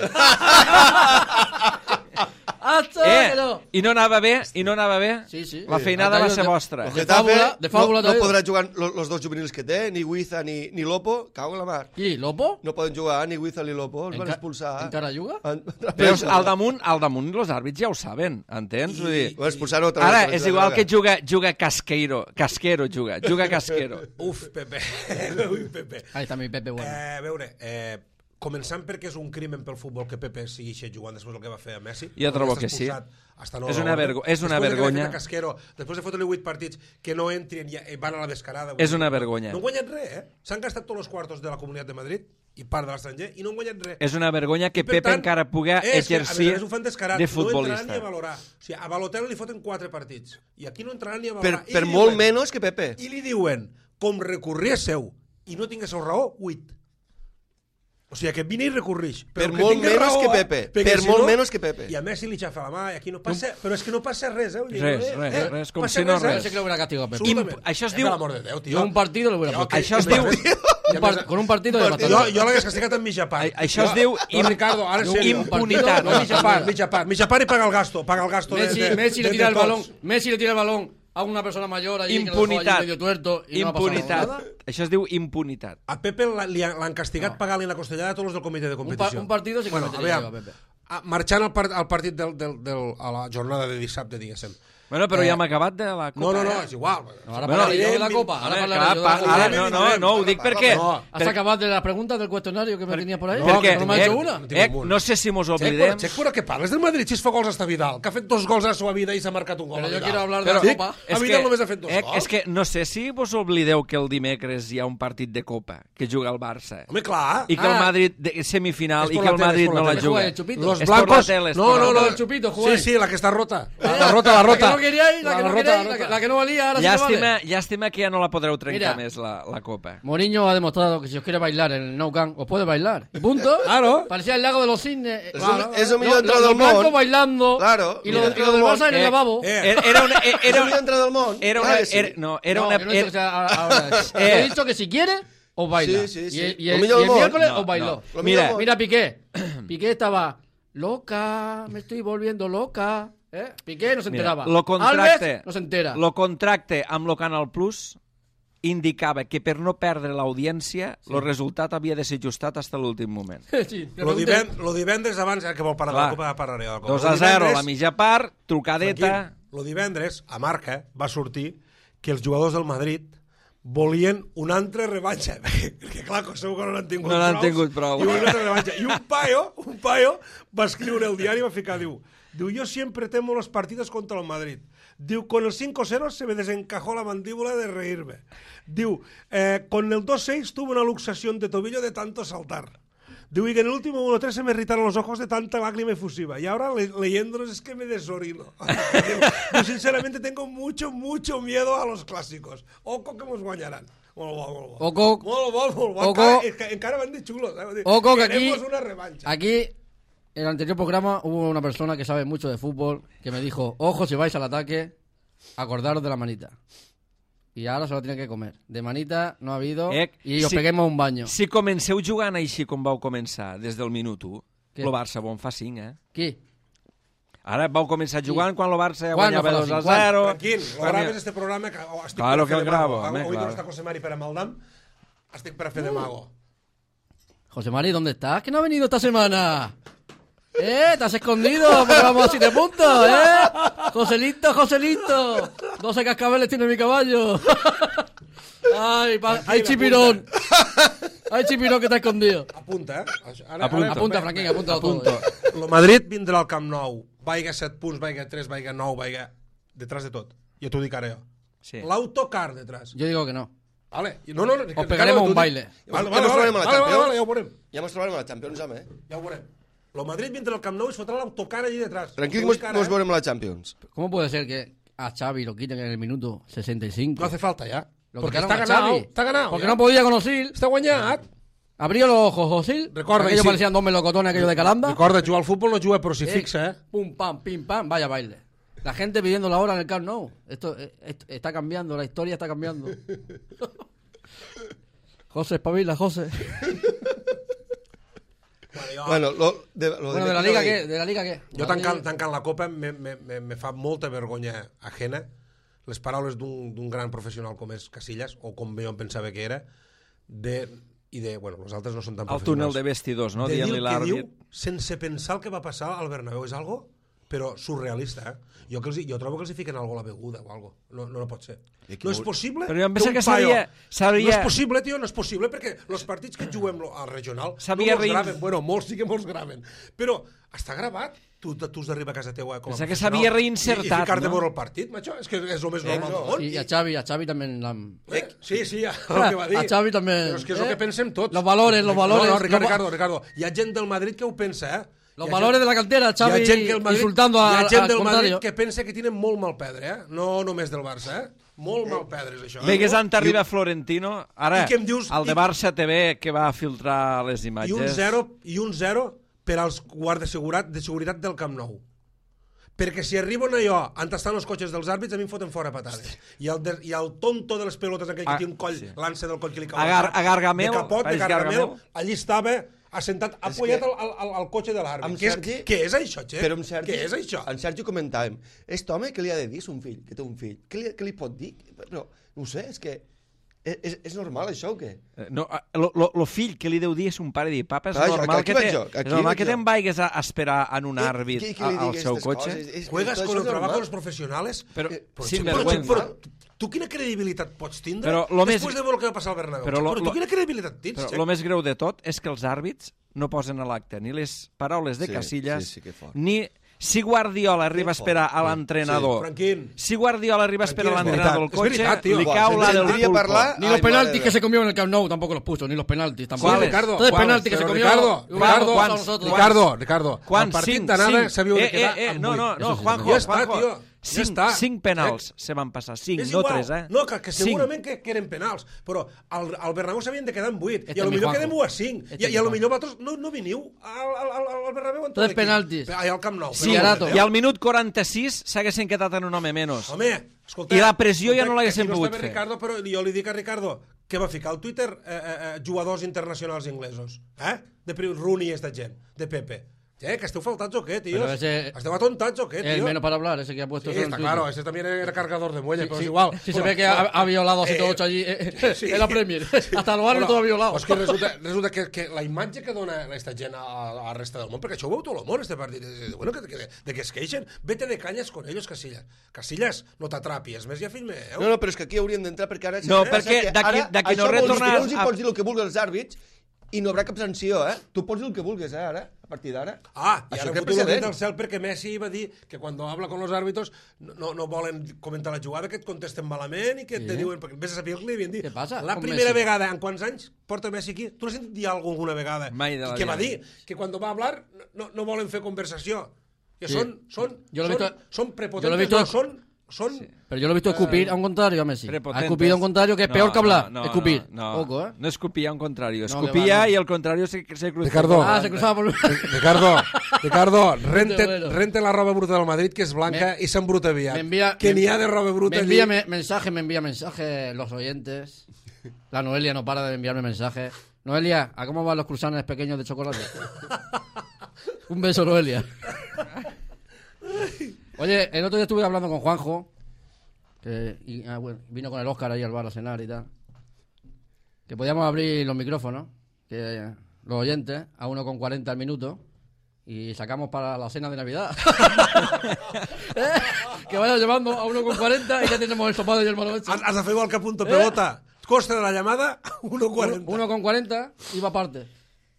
Speaker 1: Eh, i no anava bé, i no anava bé.
Speaker 2: Sí, sí.
Speaker 1: La feinada
Speaker 2: Ha
Speaker 1: va
Speaker 2: traído
Speaker 1: ser
Speaker 2: de-
Speaker 1: vostra.
Speaker 2: de
Speaker 4: Getafe
Speaker 2: fábula- de fábula
Speaker 4: no, no
Speaker 2: traído.
Speaker 4: podrà jugar los, los dos juvenils que té, ni Huiza ni, ni Lopo, cago en la mar.
Speaker 2: ¿Y Lopo?
Speaker 4: No poden jugar ni Huiza ni Lopo, els van
Speaker 2: Enca-
Speaker 4: expulsar.
Speaker 2: encara juga?
Speaker 4: En-
Speaker 1: Veus, al damunt, al damunt els àrbits ja ho saben, entens? Vull dir,
Speaker 4: Van expulsar otra
Speaker 1: ara
Speaker 4: vez.
Speaker 1: és igual que juga, juga Casqueiro, Casquero juga, juga Casquero.
Speaker 3: Uf, Pepe. Ui, Pepe.
Speaker 2: Ahí está mi Pepe bueno.
Speaker 3: Eh, a veure, eh, començant perquè és un crimen pel futbol que Pepe sigui jugant després del que va fer a Messi.
Speaker 1: Jo trobo
Speaker 3: Està
Speaker 1: que sí.
Speaker 3: expulsat hasta no
Speaker 1: És
Speaker 3: la
Speaker 1: una
Speaker 3: orden.
Speaker 1: vergo- és una
Speaker 3: Després de que
Speaker 1: vergonya.
Speaker 3: li ha fet a Casquero, després de fotre-li vuit partits que no entren i eh, van a la descarada.
Speaker 1: És una vergonya.
Speaker 3: No han guanyat res, eh? S'han gastat tots els quartos de la Comunitat de Madrid i part de l'estranger i no han guanyat res.
Speaker 1: És una vergonya que
Speaker 3: I, per
Speaker 1: Pepe
Speaker 3: tant,
Speaker 1: encara pugui
Speaker 3: és que, a
Speaker 1: exercir
Speaker 3: més a més, ho fan descarat.
Speaker 1: de
Speaker 3: No entraran ni
Speaker 1: futbolista.
Speaker 3: a valorar. O sigui, a Balotelli li foten quatre partits i aquí no entraran ni a
Speaker 4: Per,
Speaker 3: valorar. I
Speaker 4: per
Speaker 3: li
Speaker 4: molt
Speaker 3: diuen-
Speaker 4: menys que Pepe.
Speaker 3: I li diuen, com recorriésseu i no tinguéssiu raó, vuit. O sigui, que vine i recorrix.
Speaker 4: Per
Speaker 3: que
Speaker 4: molt
Speaker 3: tingues
Speaker 4: menys
Speaker 3: raó,
Speaker 4: que
Speaker 3: eh?
Speaker 4: Pepe.
Speaker 3: Perquè
Speaker 4: Per
Speaker 3: si
Speaker 4: molt
Speaker 3: no-
Speaker 4: menys que Pepe.
Speaker 3: I a Messi li xafa la mà, i aquí no passa... Però és que no passa res, eh? Vull dir,
Speaker 1: Res,
Speaker 3: eh?
Speaker 1: res,
Speaker 3: eh?
Speaker 1: res, com
Speaker 3: Passa
Speaker 1: si no
Speaker 3: eh?
Speaker 1: res.
Speaker 2: Pensé que lo hubiera castigado a Pepe.
Speaker 3: Absolutament.
Speaker 1: Imp- això es
Speaker 3: Eh,
Speaker 1: diu-
Speaker 3: Per l'amor de Déu, tio.
Speaker 2: Yo un partido lo hubiera
Speaker 3: Jo,
Speaker 2: matado.
Speaker 3: que-
Speaker 1: Això es
Speaker 3: que-
Speaker 1: diu-
Speaker 2: Un par- con un partido de
Speaker 4: partido.
Speaker 3: Jo,
Speaker 2: matar.
Speaker 3: jo l'hagués castigat amb mitja part.
Speaker 1: A- això es
Speaker 3: Jo-
Speaker 1: diu
Speaker 3: No,
Speaker 1: im-
Speaker 3: Ricardo, ara en serio.
Speaker 1: impunitat.
Speaker 3: No, mitja part, mitja part. Mitja part i paga el gasto. Paga el gasto de,
Speaker 2: Messi,
Speaker 3: de,
Speaker 2: Messi le
Speaker 3: de-
Speaker 2: tira
Speaker 3: de
Speaker 2: el
Speaker 3: tots.
Speaker 2: balón, Messi le tira el balón a una persona mayor allí que lo dejó allí
Speaker 1: Impunitat.
Speaker 2: medio tuerto y no ha pasado
Speaker 1: Impunitat.
Speaker 2: nada.
Speaker 1: Això es diu impunitat.
Speaker 3: A Pepe la- li han- l'han castigat
Speaker 2: No.
Speaker 3: pagant-li la costellada a tots els del comitè de
Speaker 2: Un, pa-
Speaker 3: competició.
Speaker 2: un partido sí que
Speaker 3: bueno,
Speaker 2: metería
Speaker 3: aviam,
Speaker 2: yo a Pepe.
Speaker 3: marxant al, part, al partit del, del, del, a la jornada de dissabte, diguéssim.
Speaker 1: Bueno, però
Speaker 3: Eh,
Speaker 1: ja hem acabat de la Copa.
Speaker 3: No, no, no,
Speaker 1: eh?
Speaker 3: és igual.
Speaker 2: No, ara
Speaker 1: Bueno,
Speaker 2: parlaré jo de la
Speaker 3: evident,
Speaker 2: Copa. Ara
Speaker 1: Home,
Speaker 2: parlaré
Speaker 1: clar,
Speaker 2: yo de
Speaker 1: pa-
Speaker 2: la Copa.
Speaker 1: ara, no, no, no, ho dic perquè...
Speaker 3: No,
Speaker 2: ¿Has
Speaker 1: per-
Speaker 2: acabado de las preguntas del cuestionario que me tenía por ahí?
Speaker 3: No,
Speaker 1: perquè,
Speaker 2: que no me ha hecho
Speaker 1: eh,
Speaker 2: una.
Speaker 3: No tinc
Speaker 1: eh,
Speaker 3: un.
Speaker 1: no sé si mos
Speaker 3: Xec,
Speaker 1: oblidem...
Speaker 3: Xec, però què parles del Madrid? Si es fa gols hasta Vidal, que ha fet dos gols a la seva vida i s'ha marcat un gol.
Speaker 2: Pero
Speaker 3: a
Speaker 2: yo
Speaker 3: Vidal.
Speaker 2: quiero hablar de
Speaker 1: Però-
Speaker 2: la Copa.
Speaker 3: A Vidal només ha fet dos
Speaker 1: eh,
Speaker 3: gols.
Speaker 1: és que no sé si vos oblideu que el dimecres hi ha un partit de Copa que juga el Barça
Speaker 3: Home, clar.
Speaker 1: i que el
Speaker 2: Ah.
Speaker 1: Madrid de semifinal
Speaker 3: És
Speaker 1: i
Speaker 3: por
Speaker 1: que
Speaker 3: la
Speaker 1: el
Speaker 3: tele,
Speaker 1: Madrid
Speaker 3: és por la
Speaker 1: no la
Speaker 3: tele.
Speaker 2: ¿Qué juega
Speaker 1: juga.
Speaker 2: el Chupito?
Speaker 3: Los
Speaker 1: Es por la
Speaker 3: blancos...
Speaker 1: tele, es
Speaker 3: no,
Speaker 1: por la
Speaker 3: no,
Speaker 2: tele.
Speaker 3: no.
Speaker 2: El Chupito,
Speaker 3: Sí,
Speaker 2: jugáis.
Speaker 3: sí, la que està rota. La rota, la
Speaker 2: La que
Speaker 3: rota.
Speaker 2: no queríais, la que no
Speaker 3: rota,
Speaker 2: queríais, la
Speaker 3: rota.
Speaker 2: que- la que no valía, ahora sí que
Speaker 1: Llàstima,
Speaker 2: vale.
Speaker 1: llàstima que ja no la podreu trencar
Speaker 2: Mira.
Speaker 1: més, la, la Copa.
Speaker 2: Mourinho ha demostrado que si os quiere bailar en el Nou Camp, os puede bailar. Y punto.
Speaker 3: Claro.
Speaker 2: Parecía el lago de los cisnes.
Speaker 4: Es
Speaker 2: Claro.
Speaker 4: un- es un millón
Speaker 2: Los-
Speaker 4: entrado
Speaker 2: los
Speaker 4: del
Speaker 2: blancos
Speaker 4: món.
Speaker 2: bailando.
Speaker 4: Claro.
Speaker 2: Y lo,
Speaker 4: Millón
Speaker 2: y lo del
Speaker 4: entrado del
Speaker 2: Barça en el
Speaker 1: món.
Speaker 2: lavabo.
Speaker 3: Eh,
Speaker 1: Era, era una... Era,
Speaker 4: Era
Speaker 1: una-
Speaker 4: entrada del món.
Speaker 1: era
Speaker 4: Clar
Speaker 1: una...
Speaker 4: que sí.
Speaker 1: Era, no, era
Speaker 2: No,
Speaker 1: una...
Speaker 2: yo no he dicho que
Speaker 1: era-
Speaker 2: sea ahora. Yo
Speaker 1: Eh.
Speaker 2: he dicho que si quiere, os baila.
Speaker 4: Sí, sí, sí.
Speaker 2: Y, el- y
Speaker 4: Lo
Speaker 2: el,
Speaker 4: millor
Speaker 2: y
Speaker 4: del
Speaker 2: el
Speaker 4: món.
Speaker 2: miércoles
Speaker 1: No,
Speaker 2: os bailó.
Speaker 1: no.
Speaker 4: Lo
Speaker 1: Mira,
Speaker 4: millor del
Speaker 2: Mira Piqué. Piqué estaba loca, me estoy volviendo loca. ¿Eh? Piqué no se
Speaker 1: Mira,
Speaker 2: enteraba.
Speaker 1: lo contracte,
Speaker 2: Alves no se entera.
Speaker 1: Lo contracte amb lo Canal Plus indicava que per no perdre l'audiència sí. el resultat havia de ser ajustat fins a l'últim moment.
Speaker 2: Sí, le
Speaker 3: Lo,
Speaker 2: pregunté-
Speaker 3: divend, lo divendres abans, eh, que vol parar de la
Speaker 1: Clar.
Speaker 3: Copa, parlaré de la Copa.
Speaker 1: dos
Speaker 3: Lo
Speaker 1: a zero,
Speaker 3: divendres-
Speaker 1: la mitja part, trucadeta...
Speaker 3: Tranquil, lo divendres, a Marca, va sortir que els jugadors del Madrid volien una altra revanxa. Perquè, clar, segur que no n'han tingut
Speaker 1: No n'han
Speaker 3: prous,
Speaker 1: tingut prou.
Speaker 3: I una altra revanxa. I un paio, un paio va escriure el diari i va ficar, diu, diu, yo siempre temo los partidos contra el Madrid. Diu, con el cinco cero se me desencajó la mandíbula de reírme. Diu, eh, con el dos seis tuve una luxación de tobillo de tanto saltar. Diu, y que en el último uno tres se me irritaron los ojos de tanta lágrima efusiva. Y ahora le leyéndolos es que me desorino. Diu, sinceramente tengo mucho, mucho miedo a los clásicos. Oco que nos guanyarán. Molt bo, molt bo.
Speaker 2: Oco.
Speaker 3: Molt bo, molt bo.
Speaker 2: Oco.
Speaker 3: Encara, enca- encara van de xulos. Eh?
Speaker 2: Oco, que aquí-
Speaker 3: Queremos una revancha.
Speaker 2: Aquí, en el anterior programa, hubo una persona que sabe mucho de fútbol que me dijo, ojo, si vais al ataque, acordaros de la manita. Y ahora se lo tiene que comer. De manita no ha habido
Speaker 1: Eh,
Speaker 2: y os
Speaker 1: si-
Speaker 2: peguemos un baño.
Speaker 1: Si comenceu jugant així com vau començar des del minut u,
Speaker 2: Què?
Speaker 1: el Barça bon fa cinc, eh?
Speaker 2: ¿Qué?
Speaker 1: Ara vau començar jugant quan el Barça ja
Speaker 2: Quan
Speaker 1: guanyava
Speaker 2: no fa
Speaker 1: dos a
Speaker 2: cinc? Quan?
Speaker 1: zero.
Speaker 3: Tranquil, lo
Speaker 1: Quan
Speaker 3: graves
Speaker 1: ja-
Speaker 3: este programa que oh, estic
Speaker 1: Claro
Speaker 3: per
Speaker 1: que
Speaker 3: fer
Speaker 1: el
Speaker 3: de
Speaker 1: gravo,
Speaker 3: mago.
Speaker 1: home,
Speaker 3: Avui
Speaker 1: claro.
Speaker 3: no està José Mari per a Maldam. Estic per a fer de mago.
Speaker 2: José Mari, ¿dónde estás? ¿Que no ha venido esta semana? ¿Eh? ¿Te has escondido? Porque vamos a siete puntos, ¿eh? Joselito, Joselito. doce cascabeles tiene mi caballo. Ay, pa- ay, chipirón. Ay, chipirón que está escondido.
Speaker 3: Apunta, eh? Ara,
Speaker 1: Apunta.
Speaker 2: Apunta, Franquín, apunta todo.
Speaker 1: Apunto.
Speaker 3: El Madrid vindrà al Camp Nou, vaiga set punts, vaiga tres, vaiga nou, vaiga... Detrás de tot. Ja t'ho dic ara jo.
Speaker 1: Sí.
Speaker 3: L'autocar detrás.
Speaker 2: Yo digo que no.
Speaker 3: Vale. No, no, no,
Speaker 2: Os pegaremos un baile.
Speaker 3: Vale,
Speaker 4: Ja
Speaker 3: vale,
Speaker 4: mos
Speaker 3: vale,
Speaker 4: trobarem a la
Speaker 3: vale, vale,
Speaker 4: Champions.
Speaker 3: vale, ja ho veurem.
Speaker 4: Ja mos trobarem a la Champions, home. eh?
Speaker 3: Ja ho veurem. El Madrid vindrà al Camp Nou i es fotrà l'autocar allí detrás.
Speaker 4: Tranquil,
Speaker 3: T'ho
Speaker 4: mos,
Speaker 3: dic ara,
Speaker 4: mos
Speaker 3: eh?
Speaker 4: veurem a la Champions.
Speaker 2: ¿Cómo puede ser que a Xavi lo quiten en el minuto sesenta y cinco?
Speaker 3: No hace falta ya.
Speaker 2: Lo
Speaker 3: Porque
Speaker 2: quitaron
Speaker 3: está
Speaker 2: a
Speaker 3: ganado,
Speaker 2: Xavi.
Speaker 3: está ganado.
Speaker 2: Porque
Speaker 3: ya.
Speaker 2: no podía con Osil.
Speaker 3: Està guanyat.
Speaker 2: Abrió los ojos Osil.
Speaker 3: Recorda,
Speaker 2: Aquellos
Speaker 3: y sí.
Speaker 2: parecían dos melocotones aquellos de Calanda.
Speaker 3: Recorda, jugar al futbol no juga, però si
Speaker 2: Eh,
Speaker 3: fixa, eh?
Speaker 2: Pum, pam, pim, pam, vaya baile. La gente pidiendo la hora en el Camp Nou. Esto, eh, esto está cambiando, la historia está cambiando. José, espabila, José.
Speaker 4: Bueno, lo, de, lo
Speaker 2: Bueno, de la liga, ¿qué? ¿De la liga qué?
Speaker 3: Jo tancant, tancant la copa me, me, me, me fa molta vergonya ajena les paraules d'un d'un gran professional com és Casillas, o com jo em pensava que era, de, i de, bueno, els altres no són tan
Speaker 1: Al túnel
Speaker 3: professionals.
Speaker 1: de vestidors, no?
Speaker 3: De dir
Speaker 1: Dient-li
Speaker 3: el que
Speaker 1: l'àrbit.
Speaker 3: diu sense pensar el que va passar al Bernabéu. És algo, però surrealista, eh? Jo, que els, jo trobo que els hi fiquen algo a la beguda o algo. No, no, no pot ser. No és possible
Speaker 1: Però jo em penso
Speaker 3: un
Speaker 1: que
Speaker 3: paio-
Speaker 1: s'havia- s'havia-
Speaker 3: No és possible, tio, no és possible, perquè els partits que juguem lo- al regional no
Speaker 1: S'havia
Speaker 3: molts
Speaker 1: rein-
Speaker 3: graven. Bueno, molts sí que molts graven. Però està gravat. Tu, tu has d'arribar a casa teua com a
Speaker 1: Pensa que
Speaker 3: professional
Speaker 1: s'havia reinsertat,
Speaker 3: i, i ficar-te
Speaker 1: no?
Speaker 3: a veure el partit, macho. És que és el més normal del món.
Speaker 2: Y a Xavi, a Xavi también la han...
Speaker 3: Eh, Sí, sí, ja, el que va dir.
Speaker 2: A Xavi també,
Speaker 3: Però és que és el
Speaker 2: eh?
Speaker 3: que pensem tots.
Speaker 2: Los valores, los valores.
Speaker 3: No, no, Ricardo,
Speaker 2: Los va-
Speaker 3: Ricardo, Ricardo. Hi ha gent del Madrid que ho pensa, eh?
Speaker 2: Los
Speaker 3: Hi ha
Speaker 2: valores
Speaker 3: gent-
Speaker 2: de la cantera, Xavi
Speaker 3: hi ha gent que el Madrid,
Speaker 2: insultando
Speaker 3: hi
Speaker 2: a-
Speaker 3: ha gent
Speaker 2: al
Speaker 3: del Madrid
Speaker 2: contrario.
Speaker 3: que pensa que tienen molt mal perdre, eh? No només del Barça, eh? Molt mal perdre, és això.
Speaker 1: Bé, que és
Speaker 3: eh?
Speaker 1: on arriba Florentino. Ara,
Speaker 3: I què em dius?
Speaker 1: el de
Speaker 3: I-
Speaker 1: Barça T V que va filtrar les
Speaker 3: I
Speaker 1: imatges.
Speaker 3: un zero, i un zero per als guardes de seguretat, de seguretat del Camp Nou. Perquè si arriben allò on estan els cotxes dels àrbits, a mi em foten fora patades. I el, de, i el tonto de les pelotes, aquell que
Speaker 1: Ah,
Speaker 3: té un coll,
Speaker 1: sí.
Speaker 3: l'ansa del coll que li cau
Speaker 1: A
Speaker 3: al
Speaker 1: Gar-
Speaker 3: cap,
Speaker 1: a Gargamel,
Speaker 3: de capot, de
Speaker 1: pareix
Speaker 3: Gargamel,
Speaker 1: Gargamel.
Speaker 3: allí estava assentat, apoyat
Speaker 4: que-
Speaker 3: al, al, al cotxe de l'àrbit.
Speaker 4: Amb
Speaker 3: Què, és,
Speaker 4: Sergi-
Speaker 3: què és això, Xe?
Speaker 4: Però amb Sergi,
Speaker 3: Què és això?
Speaker 4: amb Sergi comentàvem, aquest home què li ha de dir a son fill, que té un fill? Què li, què li pot dir? Però, no ho sé, és que És, és normal això o què?
Speaker 1: No, lo, lo, lo fill que li deu dir és un pare dir, papa, és
Speaker 4: Clar,
Speaker 1: normal
Speaker 4: aquí
Speaker 1: que,
Speaker 4: vaig
Speaker 1: te,
Speaker 4: jo, aquí
Speaker 1: és normal
Speaker 4: vaig
Speaker 1: que
Speaker 4: jo.
Speaker 1: te'n vagis a esperar en un àrbit
Speaker 4: Qui- qui li
Speaker 1: al
Speaker 4: digui
Speaker 1: seu
Speaker 4: aquestes
Speaker 1: cotxe.
Speaker 4: coses? És-
Speaker 3: Juegas
Speaker 4: això
Speaker 3: con
Speaker 4: és
Speaker 3: el trabajo
Speaker 4: normal.
Speaker 3: de los profesionales.
Speaker 1: Però,
Speaker 3: Eh, però,
Speaker 1: sin
Speaker 3: però,
Speaker 1: vergüenza.
Speaker 3: però, tu quina credibilitat pots tindre
Speaker 1: Però lo més-
Speaker 3: després de veure el que va passar al Bernabéu?
Speaker 1: Però
Speaker 3: Però,
Speaker 1: lo-
Speaker 3: però
Speaker 1: lo-
Speaker 3: tu quina credibilitat tens?
Speaker 1: Però
Speaker 3: Xec?
Speaker 1: el més greu de tot és que els àrbits no posen a l'acte ni les paraules de
Speaker 4: Sí,
Speaker 1: Casillas,
Speaker 4: sí, sí, que fort.
Speaker 1: ni si Guardiola arriba a
Speaker 4: fort.
Speaker 1: esperar a
Speaker 4: Sí,
Speaker 1: l'entrenador.
Speaker 3: Franquín.
Speaker 1: Si Guardiola arriba a esperar a
Speaker 3: Tranquil, és
Speaker 1: l'entrenador del
Speaker 3: veritat, és
Speaker 1: cotxe,
Speaker 3: veritat, tio.
Speaker 1: li
Speaker 4: Buah,
Speaker 1: cau la del
Speaker 4: sentiria
Speaker 1: pulpo.
Speaker 4: parlar-
Speaker 2: Ni
Speaker 4: Ay,
Speaker 2: los penaltis
Speaker 4: madre
Speaker 2: que
Speaker 4: mía.
Speaker 2: se comió en el Camp Nou tampoco los puso, ni los penaltis tampoco.
Speaker 1: ¿Cuáles?
Speaker 3: Ricardo,
Speaker 2: Todo el
Speaker 3: ¿cuáles?
Speaker 2: penalti que se
Speaker 3: Pero
Speaker 2: comió.
Speaker 3: Ricardo,
Speaker 2: igual
Speaker 3: Ricardo,
Speaker 2: vamos a
Speaker 1: ¿cuántos?
Speaker 2: nosotros.
Speaker 3: Ricardo, Ricardo,
Speaker 1: Quants?
Speaker 3: el partit
Speaker 1: Cinc,
Speaker 3: d'anada
Speaker 1: cinc.
Speaker 3: s'havia de
Speaker 1: Eh,
Speaker 3: quedar
Speaker 1: eh, eh,
Speaker 3: amb
Speaker 1: no,
Speaker 3: vuit.
Speaker 1: no, no,
Speaker 2: Eso sí,
Speaker 1: Juanjo,
Speaker 3: ja està,
Speaker 1: Juanjo.
Speaker 3: tio, ja
Speaker 1: Cinc,
Speaker 3: està.
Speaker 1: cinc penals se van passar, cinc,
Speaker 3: És
Speaker 1: no
Speaker 3: igual.
Speaker 1: tres, eh?
Speaker 3: No, que, que
Speaker 1: Cinc.
Speaker 3: segurament que, que eren penals, però al, al Bernabéu s'havien de quedar en vuit,
Speaker 2: Este
Speaker 3: i a lo
Speaker 2: es mi
Speaker 3: millor
Speaker 2: Juanjo.
Speaker 3: quedem u a cinc,
Speaker 2: Este
Speaker 3: i,
Speaker 2: es
Speaker 3: i a lo
Speaker 2: mi
Speaker 3: millor vosaltres no, no veniu al, al, al, al Bernabéu amb tot
Speaker 2: Tres
Speaker 3: l'equip.
Speaker 2: penaltis.
Speaker 3: Ai, al Camp Nou.
Speaker 1: Sí,
Speaker 3: però
Speaker 2: Garato.
Speaker 3: no,
Speaker 1: i al minut quaranta-sis s'haguessin quedat en un home menys.
Speaker 3: Home, escolta...
Speaker 1: I la pressió ja
Speaker 3: escolta,
Speaker 1: no l'haguessin
Speaker 3: que aquí
Speaker 1: pogut
Speaker 3: no està
Speaker 1: fer.
Speaker 3: bé Ricardo, però jo li dic a Ricardo que va ficar al Twitter eh, eh, eh, jugadors internacionals inglesos. Eh? De Pri- Rooney i esta gent, de Pepe. Eh, que esteu faltats o què, tios?
Speaker 2: Pero ese-
Speaker 3: Esteu atontats o què,
Speaker 2: El
Speaker 3: tio?
Speaker 2: menos para hablar, ese que ha puesto
Speaker 3: Sí,
Speaker 2: eso en
Speaker 3: está
Speaker 2: Twitter.
Speaker 3: claro, ese también era cargador de muelles,
Speaker 2: Sí,
Speaker 3: pero
Speaker 2: sí.
Speaker 3: es igual.
Speaker 2: Si
Speaker 3: Bueno,
Speaker 2: se ve que ha, ha violado a
Speaker 3: eh,
Speaker 2: ciento ocho allí eh,
Speaker 3: sí.
Speaker 2: en la Premier. Hasta los árbitros ha violado.
Speaker 3: Pues que resulta, resulta que, que la imatge que dona aquesta gent a, a la resta del món, perquè això ho veu tot el món, este partit, de, bueno, que, que, de que es queixen, vete de canyes con ellos, Casillas. Casillas, no t'atrapis, més ja fill meu.
Speaker 4: No, no, però és que aquí hauríem d'entrar perquè ara...
Speaker 1: No,
Speaker 4: eh,
Speaker 1: perquè
Speaker 4: que
Speaker 1: d'aquí-
Speaker 4: ara
Speaker 1: d'aquí no
Speaker 4: això vol dir que
Speaker 1: retornar
Speaker 4: No els hi
Speaker 1: a-
Speaker 4: pots dir el que vulguis als àrbits i no haurà cap sanció, eh? Tu pots dir el que vulguis, eh, ara, a partir d'ara.
Speaker 3: Ah, i
Speaker 4: Això
Speaker 3: ara
Speaker 4: té
Speaker 3: foto el
Speaker 4: precedent.
Speaker 3: dit al cel perquè Messi va dir que quan habla con los árbitros no, no volen comentar la jugada, que et contesten malament i que te diuen, perquè vés a saber el que li havien dit.
Speaker 2: Què passa
Speaker 3: La
Speaker 2: con
Speaker 3: primera
Speaker 2: Messi?
Speaker 3: vegada, en quants anys porta Messi aquí? Tu l'has sentit dir alguna vegada?
Speaker 1: Mai de la
Speaker 3: I què va
Speaker 1: vida.
Speaker 3: dir? Que quan va hablar no, no volen fer conversació. Que
Speaker 2: Sí.
Speaker 3: són, són,
Speaker 2: Yo lo he
Speaker 3: són,
Speaker 2: visto-
Speaker 3: són
Speaker 2: yo
Speaker 3: prepotentes,
Speaker 2: lo he visto-
Speaker 3: no, són... són
Speaker 2: Pero yo lo he visto escupir a un contrario a Messi. Ha
Speaker 1: Prepotentes.
Speaker 2: escupido a un contrario que es
Speaker 1: No,
Speaker 2: peor que hablar.
Speaker 1: no, no,
Speaker 2: escupir.
Speaker 1: No, no,
Speaker 2: Poco, ¿eh?
Speaker 1: no escupía a un contrario.
Speaker 2: No,
Speaker 1: Escupía
Speaker 2: que va, no.
Speaker 1: y el contrario se, se cruzó.
Speaker 3: Ricardo.
Speaker 2: Ah, se cruzaba por...
Speaker 3: Ricardo, Ricardo, rente,
Speaker 2: Bueno.
Speaker 3: rente la roba bruta del Madrid, que és blanca,
Speaker 2: Me-
Speaker 3: i s'embruta aviat.
Speaker 2: me envía-
Speaker 3: que
Speaker 2: me-
Speaker 3: n'hi ha de roba bruta
Speaker 2: Me envía
Speaker 3: allí.
Speaker 2: me- mensaje, me envía mensaje los oyentes. La Noelia no para de enviarme mensajes. Noelia, ¿a cómo van los cruzanes pequeños de chocolate? Un beso, Noelia. Oye, el otro día estuve hablando con Juanjo, que y, ah, bueno, vino con el Óscar ahí al bar a cenar y tal. Que podíamos abrir los micrófonos, que eh, los oyentes, a uno con cuarenta al minuto, y sacamos para la cena de Navidad. ¿Eh? Que vaya llevando a uno con cuarenta y ya tenemos el sopado y el malo hecho.
Speaker 3: Has, has de fer igual que punto pelota. Costa de la llamada, uno cuarenta.
Speaker 2: Uno con cuarenta y va aparte.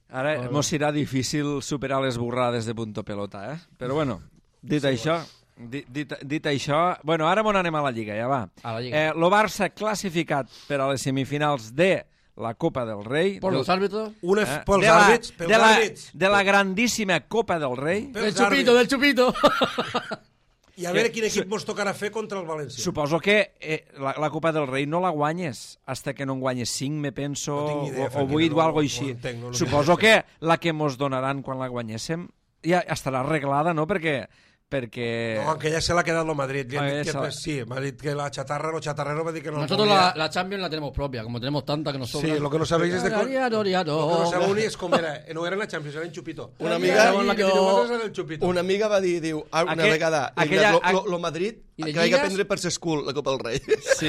Speaker 1: Ara mos serà difícil superar les borrades de punto pelota, eh? Però bueno, dit sí, això... Dit, dit, dit això... Bueno, ara m'on anem a la Lliga, ja va.
Speaker 2: A la Lliga.
Speaker 1: Eh, lo Barça classificat per a les semifinals de la Copa del Rei.
Speaker 2: Por
Speaker 1: del,
Speaker 2: los árbitros.
Speaker 3: Una
Speaker 1: eh,
Speaker 3: f- pels
Speaker 1: de la,
Speaker 3: àrbits, pels
Speaker 1: de la,
Speaker 3: àrbits.
Speaker 1: de la grandíssima Copa del Rei.
Speaker 3: Pels
Speaker 2: Del chupito,
Speaker 3: àrbits.
Speaker 2: del chupito.
Speaker 3: I a veure quin equip mos tocarà fer contra el València.
Speaker 1: Suposo que eh, la, la Copa del Rei no la guanyes hasta que no en guanyes cinc, me penso,
Speaker 3: No tinc ni idea,
Speaker 1: o, o
Speaker 3: Franquino,
Speaker 1: vuit
Speaker 3: no-
Speaker 1: o algo
Speaker 3: no
Speaker 1: així.
Speaker 3: entenc, no- no
Speaker 1: Suposo
Speaker 3: entenc.
Speaker 1: que la que mos donaran quan la guanyéssim ja estarà arreglada, no? Perquè... perquè...
Speaker 3: No, aunque ya se la ha quedado Madrid.
Speaker 1: Ah,
Speaker 3: Que,
Speaker 1: esa-
Speaker 3: que, sí, Madrid, que la chatarra, lo chatarrero va a decir que no
Speaker 2: Nosotros
Speaker 3: lo
Speaker 2: la,
Speaker 3: podía.
Speaker 2: la Champions la tenemos propia, como tenemos tanta que nos sobra.
Speaker 3: Sí, lo que no sabéis es de... co-
Speaker 2: Ariaro, ariaro.
Speaker 3: Lo que no sabeu ni és com era. No era en la Champions, era en Chupito.
Speaker 4: Una
Speaker 3: La
Speaker 4: amiga-
Speaker 3: segons la que teniu vosaltres era el Chupito.
Speaker 4: Una amiga va dir, diu, ah, una
Speaker 1: Aquell-
Speaker 4: vegada,
Speaker 1: aquella-
Speaker 4: aquella, lo, lo, lo Madrid,
Speaker 2: I de
Speaker 4: que vaig
Speaker 2: lligues?
Speaker 4: aprendre per ser school, la Copa del Rei.
Speaker 1: Sí.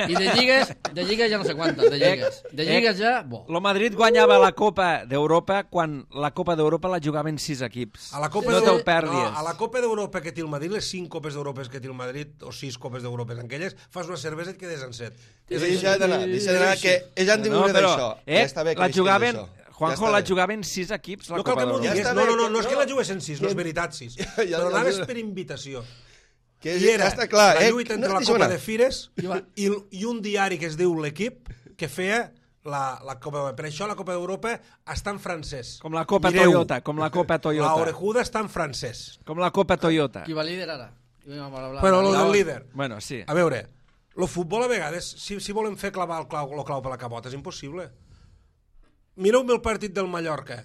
Speaker 2: Y de lligues, de lligues ya no sé cuántas, de lligues. De lligues ya... Bo.
Speaker 1: Lo Madrid guanyava la Copa d'Europa quan la Copa d'Europa la jugaven sis equips.
Speaker 3: A la Copa
Speaker 1: no
Speaker 3: d'Eu-
Speaker 1: te'l perdis.
Speaker 3: No, a la Copa d'Europa que té el Madrid, les cinc Copes d'Europa que té el Madrid, o sis Copes d'Europa en aquelles, fas una cervesa i et quedes en set. És així.
Speaker 4: Deixa d'anar, deixa d'anar, que ells han de
Speaker 1: No,
Speaker 4: viure
Speaker 1: però,
Speaker 4: d'això.
Speaker 1: eh,
Speaker 4: Ja està bé que
Speaker 1: la
Speaker 4: visquin
Speaker 1: jugaven,
Speaker 4: d'això.
Speaker 1: Juanjo,
Speaker 4: Ja
Speaker 1: la
Speaker 4: està bé.
Speaker 1: jugaven sis equips, la
Speaker 3: No cal
Speaker 1: Copa
Speaker 3: que m'ho
Speaker 1: d'Europa.
Speaker 3: diguis,
Speaker 4: Ja està
Speaker 3: no,
Speaker 4: bé,
Speaker 3: no, no,
Speaker 4: que-
Speaker 3: no és que
Speaker 4: no.
Speaker 3: la juguessin sis, no és veritat sis.
Speaker 4: Ja, ja,
Speaker 3: Però
Speaker 4: ja,
Speaker 3: anaves
Speaker 4: ja.
Speaker 3: per invitació.
Speaker 4: Que
Speaker 3: I era
Speaker 4: ja està clar,
Speaker 3: la
Speaker 4: eh?
Speaker 3: lluita entre
Speaker 4: No,
Speaker 3: la
Speaker 4: deixa'm
Speaker 3: Copa
Speaker 4: anar.
Speaker 3: de Fires
Speaker 2: I va-
Speaker 3: i, i un diari que es diu L'Equip, que feia la, la Copa d'Europa. Per això la Copa d'Europa està en francès.
Speaker 1: Com la Copa
Speaker 3: Mireu.
Speaker 1: Toyota, com la Copa
Speaker 3: La
Speaker 1: Toyota.
Speaker 3: orejuda està en francès.
Speaker 1: Com la Copa Toyota.
Speaker 2: Qui va líder ara? I vamos a hablar-
Speaker 3: Però lo
Speaker 2: hablar-
Speaker 3: del líder.
Speaker 1: Bueno, sí.
Speaker 3: A veure, el futbol a vegades, si, si volem fer clavar el clau, el clau per la cabota, és impossible. Mireu-me el partit del Mallorca,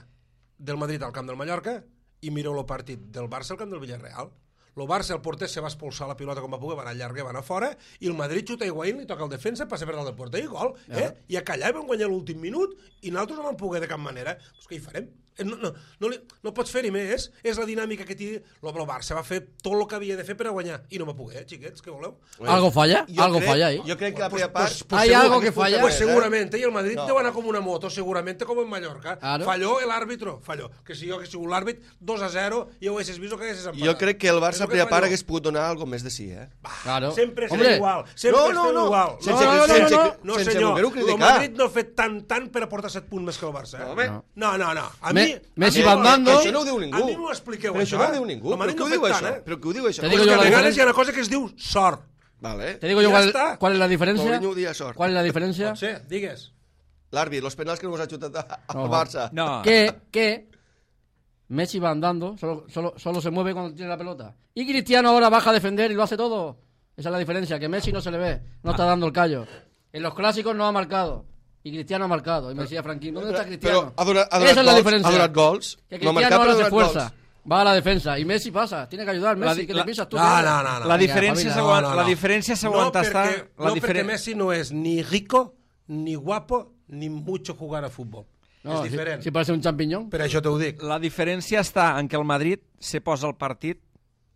Speaker 3: del Madrid al camp del Mallorca, i mireu el partit del Barça al camp del Villarreal. El Barça, el porter, se va expulsar la pilota com va poder, va anar llarga, va anar fora, i el Madrid xuta Higuaín, li toca el defensa, passa per dalt del porter i gol. Eh? I a callar vam guanyar l'últim minut i nosaltres no vam poder de cap manera. Pues què hi farem? No, no, no, li, no pots fer-hi més. És la dinàmica que té. El Barça va fer tot el que havia de fer per a guanyar. I no va poder, xiquets, què voleu?
Speaker 2: Algo falla,
Speaker 4: Jo
Speaker 2: algo
Speaker 4: crec-
Speaker 2: falla ahí.
Speaker 4: Jo crec que la primera part...
Speaker 3: Pues, pues,
Speaker 2: Hay
Speaker 3: segur-
Speaker 2: algo que falla.
Speaker 3: Pues
Speaker 4: eh?
Speaker 3: seguramente, y el Madrid
Speaker 4: No.
Speaker 3: te van a como una moto, seguramente como en Mallorca.
Speaker 2: Claro.
Speaker 3: Falló el árbitro, falló. Que si jo que sigut l'àrbit, dos a zero, i ho haguessis vist o que haguessis empatat.
Speaker 4: Jo crec que el Barça
Speaker 3: És
Speaker 4: a
Speaker 3: el que
Speaker 4: primera part
Speaker 3: falló.
Speaker 4: hagués pogut donar alguna més de sí, eh?
Speaker 2: Claro.
Speaker 3: Sempre estem
Speaker 2: Hombre,
Speaker 3: igual, sempre
Speaker 4: No, no,
Speaker 3: estem
Speaker 4: no.
Speaker 3: igual.
Speaker 4: Sense-
Speaker 3: no, no, no,
Speaker 4: sense-
Speaker 3: no, no,
Speaker 4: sense
Speaker 3: senyor,
Speaker 4: voler-ho
Speaker 3: el
Speaker 4: criticar.
Speaker 3: Madrid no ha fet tant, tant per aportar set punts més que el Barça. Eh?
Speaker 4: Home.
Speaker 3: No, no, no. A
Speaker 2: Me-
Speaker 3: mi,
Speaker 2: Messi
Speaker 3: a mi-
Speaker 2: va andando.
Speaker 3: a mi-
Speaker 4: Això no ho diu ningú.
Speaker 3: A mi m'ho expliqueu,
Speaker 4: Però
Speaker 3: això.
Speaker 4: això no ho
Speaker 3: eh?
Speaker 4: diu ningú.
Speaker 3: El Madrid
Speaker 4: Però
Speaker 3: no
Speaker 4: què
Speaker 3: ha
Speaker 4: ho diu
Speaker 3: fet
Speaker 4: això?
Speaker 3: tant, eh?
Speaker 4: Però què ho diu això?
Speaker 2: Te
Speaker 3: Pues
Speaker 2: digo
Speaker 3: que
Speaker 2: yo
Speaker 3: a
Speaker 2: la
Speaker 3: vegades
Speaker 2: diferència.
Speaker 3: hi ha una cosa que es diu sort.
Speaker 4: Vale.
Speaker 2: Te digo yo
Speaker 3: Ya
Speaker 2: cuál,
Speaker 3: está.
Speaker 2: cuál es la diferencia.
Speaker 4: Mourinho ho dia sort.
Speaker 2: ¿Cuál es la diferencia?
Speaker 3: Pot ser, digues.
Speaker 4: L'àrbit, els penals que no us ha xutat al
Speaker 2: No.
Speaker 4: Barça.
Speaker 1: No,
Speaker 2: Que, que Messi va andando, solo, solo, solo se mueve cuando tiene la pelota. Y Cristiano ahora baja a defender y lo hace todo. Esa es la diferencia, que Messi no se le ve, no está dando el callo. En los clásicos no ha marcado. Y Cristiano ha marcado. Y me decía Franquín, ¿dónde está Cristiano?
Speaker 4: Però ha donat, ha donat
Speaker 2: Esa es la
Speaker 4: gols,
Speaker 2: diferencia.
Speaker 4: ha donat gols.
Speaker 2: Que
Speaker 4: No ha
Speaker 2: Cristiano
Speaker 4: marcat,
Speaker 2: ahora
Speaker 4: però ha
Speaker 2: se
Speaker 4: donat gols.
Speaker 2: esfuerza. Va a la defensa. Y Messi pasa. Tiene que ayudar. Messi,
Speaker 1: La-
Speaker 2: que
Speaker 1: la-
Speaker 2: te pisas tú.
Speaker 3: No, no, no. no.
Speaker 1: la
Speaker 2: Vinga,
Speaker 1: diferència
Speaker 2: Fabina,
Speaker 1: s'aguanta
Speaker 3: no, no.
Speaker 1: la diferència s'aguanta
Speaker 3: no,
Speaker 1: estar...
Speaker 3: perquè,
Speaker 1: La
Speaker 3: no
Speaker 1: diferen-
Speaker 3: perquè Messi no és ni rico, ni guapo, ni mucho jugar a futbol.
Speaker 2: No,
Speaker 3: és
Speaker 2: si,
Speaker 3: diferent.
Speaker 2: si parece un champiñón.
Speaker 3: Per això t'ho dic.
Speaker 1: La diferència està en que el Madrid se posa el partit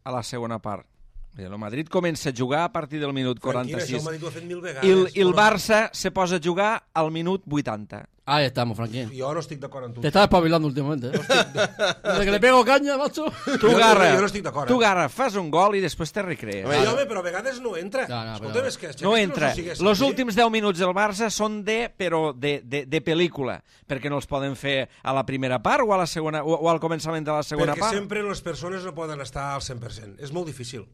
Speaker 1: a la segona part. El Madrid comença a jugar a partir del minut
Speaker 3: Tranquil, això
Speaker 1: quaranta-sis
Speaker 3: el Madrid ho ha fet mil vegades.
Speaker 1: i el, i el
Speaker 3: Però
Speaker 1: Barça se posa a jugar al minut vuitanta.
Speaker 2: Ahí estamos, Franquín.
Speaker 3: Jo no estic d'acord amb tu.
Speaker 2: Te estás espabilando últimamente. ¿eh? Desde que le pego caña, macho.
Speaker 1: Tu,
Speaker 3: Jo-
Speaker 1: Garra,
Speaker 3: jo no estic d'acord, eh?
Speaker 1: tu, Garra, fas un gol i després te recrees.
Speaker 3: Sí, home, però a vegades no entra.
Speaker 2: No, no,
Speaker 3: Escolta,
Speaker 2: però-
Speaker 3: és que...
Speaker 1: No
Speaker 3: és que
Speaker 1: entra.
Speaker 3: s'ho sigués
Speaker 1: Els
Speaker 3: així.
Speaker 1: últims deu minuts del Barça són de, però de, de, de pel·lícula, perquè no els poden fer a la primera part o, a la segona, o, o al començament de la segona
Speaker 3: Perquè
Speaker 1: part.
Speaker 3: sempre les persones no poden estar al cent per cent. És molt difícil.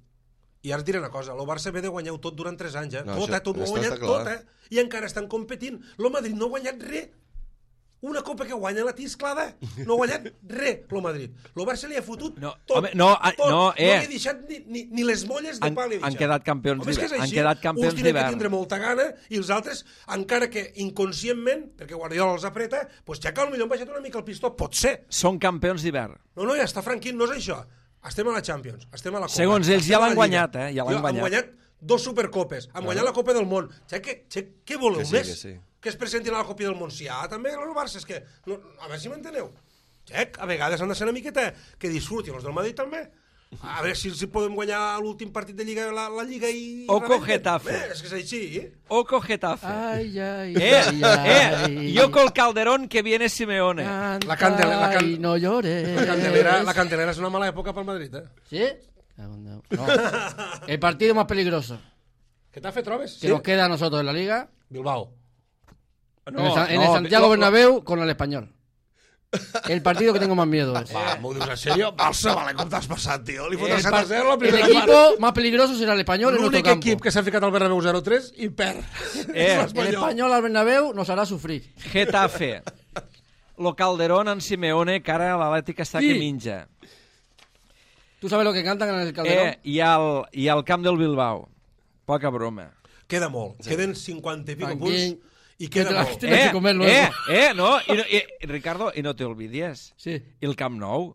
Speaker 3: I ara et diré una cosa, el Barça ve de guanyar-ho tot durant tres anys, eh?
Speaker 4: No,
Speaker 3: tot,
Speaker 4: això-
Speaker 3: eh? Tot ho ha
Speaker 4: això
Speaker 3: guanyat
Speaker 4: està clar.
Speaker 3: tot, eh? I encara estan competint. El Madrid no ha guanyat res. Una copa que guanya la tisclada. No ha guanyat res, el Madrid. El Barça li ha fotut
Speaker 1: No,
Speaker 3: tot.
Speaker 1: home, no, a-
Speaker 3: tot.
Speaker 1: no, eh.
Speaker 3: No li ha deixat ni, ni, ni les molles de
Speaker 1: Han-
Speaker 3: pa li ha
Speaker 1: han
Speaker 3: deixat.
Speaker 1: quedat campions
Speaker 3: Home, és que és
Speaker 1: d'hivern. Han
Speaker 3: així.
Speaker 1: quedat campions
Speaker 3: Uns tenen que
Speaker 1: d'hivern.
Speaker 3: tindre molta gana i els altres, encara que inconscientment, perquè Guardiola els apreta, doncs ja que potser han baixat una mica el pistó. Pot ser.
Speaker 1: Són campions d'hivern.
Speaker 3: No, no, ja està, Franquín, no és això. Estem a la Champions, estem a la Copa.
Speaker 1: Segons ells, ja
Speaker 3: estem a la
Speaker 1: l'han
Speaker 3: Lliga.
Speaker 1: guanyat, eh? Ja l'han
Speaker 3: Jo,
Speaker 1: guanyat.
Speaker 3: Han guanyat dos supercopes, han guanyat la Copa del Món. Xe, què, xe, què voleu
Speaker 4: Que sí,
Speaker 3: més?
Speaker 4: que sí.
Speaker 3: Que es presentin a la Copa del Món. Sí, ah, també el Barça, és que... No, a veure si m'enteneu. Xec, a vegades han de ser una miqueta que disfrutin els del Madrid també. A veure si, si podem guanyar l'últim partit de Lliga, la, la Lliga i...
Speaker 1: Oco
Speaker 3: rebenten.
Speaker 1: Getafe.
Speaker 3: Eh, és que és així, eh?
Speaker 1: Oco Getafe.
Speaker 2: Ay, ay,
Speaker 1: Eh,
Speaker 2: ay, ay.
Speaker 1: eh, yo con Calderón que viene Simeone.
Speaker 2: Canta
Speaker 3: La candela- la can-
Speaker 2: y no llores.
Speaker 3: La candelera, la candelera és una mala època pel Madrid, eh?
Speaker 2: ¿Sí? No. El partido más peligroso
Speaker 3: Què t'ha fet, trobes?
Speaker 2: que nos queda a nosotros en la Liga,
Speaker 3: Bilbao.
Speaker 2: en el, Sa- en el
Speaker 1: no,
Speaker 2: Santiago
Speaker 1: lo-
Speaker 2: Bernabéu con el Español. El partido que tengo más miedo es.
Speaker 3: Va, m'ho dius en sèrio? Barça, vale, com t'has passat, tio? Li fots
Speaker 2: El,
Speaker 3: el set
Speaker 2: par-
Speaker 3: a zero la
Speaker 2: el
Speaker 3: primera
Speaker 2: equipo más peligroso será el Español en nuestro
Speaker 3: L'únic
Speaker 2: campo.
Speaker 3: equip que s'ha ficat al Bernabéu zero tres i perd.
Speaker 1: Eh,
Speaker 3: És
Speaker 2: El Español al Bernabéu nos hará sufrir.
Speaker 1: Getafe. Lo Calderón en Simeone, que ara l'Atlètic està
Speaker 2: Sí.
Speaker 1: que minja.
Speaker 2: ¿Tú sabes lo que cantan en el Calderón?
Speaker 1: Eh, i, al, I al camp del Bilbao. Poca broma.
Speaker 3: Queda molt. Queden cinquanta i pico
Speaker 2: Franquín,
Speaker 3: punts i queda
Speaker 2: que te la-
Speaker 3: molt.
Speaker 2: Tienes que comer luego.
Speaker 1: eh, eh, no, i, no i, Ricardo, y no te olvides.
Speaker 2: Sí.
Speaker 1: I el Camp Nou.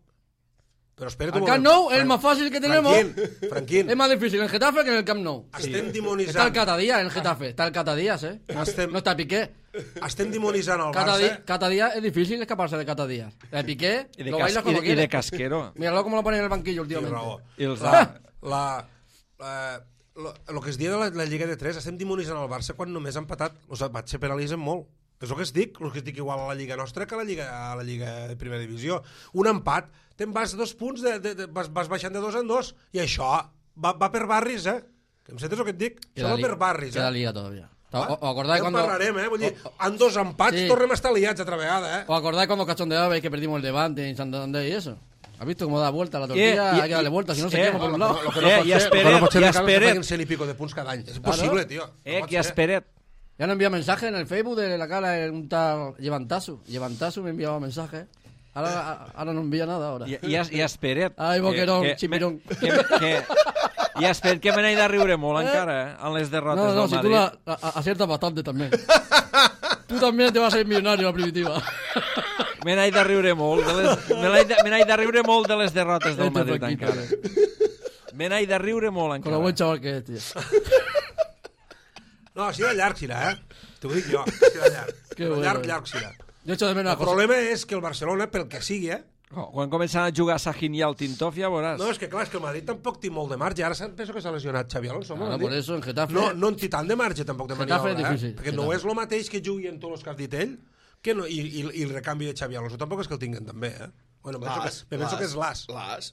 Speaker 3: Però espera't
Speaker 2: El
Speaker 3: un
Speaker 2: Camp
Speaker 3: moment.
Speaker 2: Nou es el más fácil que tenemos.
Speaker 3: Franquín, Franquín,
Speaker 2: Es más difícil en el Getafe que en el Camp Nou.
Speaker 3: estem
Speaker 2: Está el
Speaker 3: dimonitzant,
Speaker 2: Catadías en el Getafe. Está el Catadías, ¿eh?
Speaker 3: Estem-
Speaker 2: No está Piqué.
Speaker 3: estem dimonitzant el
Speaker 2: Cada,
Speaker 3: Barça.
Speaker 2: di- cada día es difícil escaparse de cada día. De Piqué,
Speaker 1: I de,
Speaker 2: lo
Speaker 1: cas,
Speaker 2: bailas
Speaker 1: i,
Speaker 2: cuando
Speaker 1: de, i de
Speaker 2: quieres.
Speaker 1: Casquero.
Speaker 2: Míralo cómo lo ponen en el banquillo
Speaker 3: Tens
Speaker 2: últimamente.
Speaker 3: raó.
Speaker 1: I els
Speaker 3: La, la, la, lo, lo que es dia de la, la Lliga de tres, estem dimonitzant el Barça quan només ha empatat. O sigui, se penalitzen molt. És el que es dic, el que es dic igual a la Lliga nostra que a la Lliga, a la Lliga de Primera Divisió. Un empat, te'n vas dos punts, de, de, de, vas, vas baixant de dos en dos, i això va, va per barris, eh? Que em sentes el que et dic? Això va
Speaker 2: li-
Speaker 3: per barris,
Speaker 2: queda
Speaker 3: eh?
Speaker 2: liga todavía.
Speaker 3: Ah,
Speaker 2: ¿O, o acordáis
Speaker 3: ja en
Speaker 2: cuando,
Speaker 3: parlarem, eh? Vull dir,
Speaker 2: o-
Speaker 3: en dos empats
Speaker 2: Sí.
Speaker 3: tornem a estar liats altra vegada, eh?
Speaker 2: ¿O acordáis cuando cachondeabais que perdimos el Levante en Santander y eso? ¿Has visto cómo da vuelta la tortilla?
Speaker 1: Eh, y-
Speaker 2: Hay que darle
Speaker 1: y-
Speaker 2: vuelta, si no se
Speaker 1: eh,
Speaker 2: quema por un lado.
Speaker 3: Lo que no
Speaker 1: Eh,
Speaker 3: pot
Speaker 1: i
Speaker 3: ser,
Speaker 1: espera't,
Speaker 3: lo que no pot ser,
Speaker 1: i
Speaker 3: Ricardo, és que
Speaker 1: espera't.
Speaker 3: facin cent i pico de punts cada any. És impossible, tio. No
Speaker 1: Eh,
Speaker 3: pot
Speaker 1: que
Speaker 3: ser.
Speaker 1: espera't.
Speaker 2: Ya no envía mensajes en el Facebook de la cara de un tal Llevantasu. Llevantasu me enviaba mensajes. Ahora, ahora no envía nada ahora.
Speaker 1: I, i, es- i espera't.
Speaker 2: Ai, boquerón,
Speaker 1: que-
Speaker 2: chipirón.
Speaker 1: Que, que, I espera't que me n'he de riure molt encara, eh, en les derrotes
Speaker 2: No, no,
Speaker 1: del
Speaker 2: si tú
Speaker 1: Madrid.
Speaker 2: la, a- a- aciertas bastante también. Tú también te vas a ir millonario la primitiva.
Speaker 1: Me n'he de riure molt. De les, me n'he de, me n'he de riure molt de les derrotes del
Speaker 2: Este
Speaker 1: Madrid
Speaker 2: Franquito,
Speaker 1: encara. Me n'he de riure molt
Speaker 2: Con lo
Speaker 1: encara.
Speaker 2: buen chaval que es, tío.
Speaker 3: No, així de llarg serà, eh? T'ho dic jo, així de llarg.
Speaker 2: Que
Speaker 3: Però
Speaker 2: bueno.
Speaker 3: llarg, llarg serà.
Speaker 2: Jo echo de menos a
Speaker 3: El
Speaker 2: José.
Speaker 3: problema és que el Barcelona, pel que sigui, eh?
Speaker 1: Oh, quan començan a jugar Sahin i el Tintoff ja veuràs.
Speaker 3: No, és que clar, és que el Madrid tampoc té molt de marge. Ara penso que s'ha lesionat Xavi Alonso.
Speaker 2: Claro, por eso en Getafe...
Speaker 3: No, no en té tant de marge tampoc de
Speaker 2: Getafe
Speaker 3: maniobra,
Speaker 2: és difícil,
Speaker 3: eh? Perquè no
Speaker 2: Getafe.
Speaker 3: és el mateix que jugui en tots els que has dit ell que no, i, i, i el recanvi de Xavi Alonso tampoc és que el tinguen també, eh? Bueno, me penso,
Speaker 4: L'As,
Speaker 3: que, me penso que és l'As.
Speaker 4: L'As.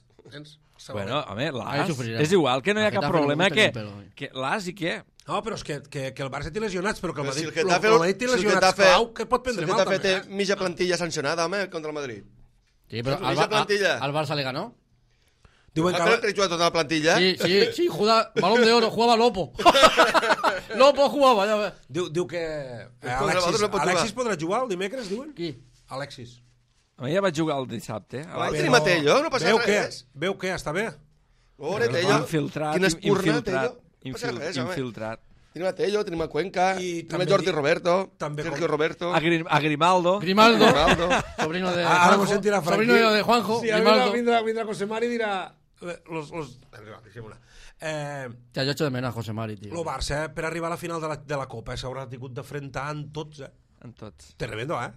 Speaker 1: Bueno, home,
Speaker 2: Ahí
Speaker 1: l'As,
Speaker 2: sufrirà.
Speaker 1: és igual, que no hi ha
Speaker 2: A
Speaker 1: cap
Speaker 2: Getafe
Speaker 1: problema,
Speaker 2: no
Speaker 1: que,
Speaker 2: gusta ni un pelo.
Speaker 1: que l'As i què?
Speaker 3: No, però és que, que, que el Barça té lesionats, però que el
Speaker 4: Però si
Speaker 3: Madrid,
Speaker 4: el Getafe,
Speaker 3: el, el Madrid té
Speaker 4: si el
Speaker 3: lesionats
Speaker 4: Getafe,
Speaker 3: clau, que pot prendre
Speaker 4: si el
Speaker 3: mal
Speaker 4: Getafe
Speaker 3: també,
Speaker 4: té
Speaker 3: eh?
Speaker 4: mitja plantilla sancionada, home, contra el Madrid.
Speaker 2: Sí, pero
Speaker 4: Esa
Speaker 2: al, Bar-
Speaker 4: plantilla.
Speaker 2: al Barça le ganó.
Speaker 3: Diuen
Speaker 4: Ah,
Speaker 3: que...
Speaker 4: però que juga tota la plantilla?
Speaker 2: Sí, sí, sí, jugaba, balón de oro, jugaba Lopo. Lopo jugaba, ya ves.
Speaker 3: Diu, diu que eh,
Speaker 4: contra
Speaker 3: Alexis,
Speaker 4: l'altre no pot jugar.
Speaker 3: Alexis podrà jugar el dimecres, diuen?
Speaker 2: Qui?
Speaker 3: Alexis.
Speaker 1: A mi ja vaig jugar el dissabte.
Speaker 4: Vai,
Speaker 1: Alexis.
Speaker 4: tenim a Tello, no passa
Speaker 3: veu
Speaker 4: res.
Speaker 3: Què? Veu què? Està bé?
Speaker 4: Ore,
Speaker 1: Però
Speaker 4: Tello.
Speaker 1: infiltrat,
Speaker 4: Quina espurna,
Speaker 1: infiltrat,
Speaker 4: Tello. No passa
Speaker 1: infil,
Speaker 4: res, home.
Speaker 1: infiltrat.
Speaker 4: Tenim a Tello, tenim a Cuenca,
Speaker 3: I
Speaker 4: tenim
Speaker 3: també
Speaker 4: a Jordi
Speaker 3: di-
Speaker 4: Roberto,
Speaker 3: també
Speaker 4: Sergio
Speaker 3: com-
Speaker 4: Roberto,
Speaker 1: A, Grim, a Grimaldo.
Speaker 2: Grimaldo,
Speaker 4: Ronaldo.
Speaker 2: sobrino de
Speaker 3: Ara m'ho
Speaker 2: Juanjo.
Speaker 3: sentirà Franqui.
Speaker 2: Sobrino de Juanjo,
Speaker 3: Sí, ara
Speaker 2: Grimaldo.
Speaker 3: vindrà, vindrà José Mari i dirà... eh, Los, los... Eh,
Speaker 2: Ya, yo echo de menos a José Mari, tío.
Speaker 3: el Barça, eh, per arribar a la final de la, de la Copa, eh, s'haurà tingut d'afrontar en tots, eh?
Speaker 1: En tots.
Speaker 3: Tremendo, eh?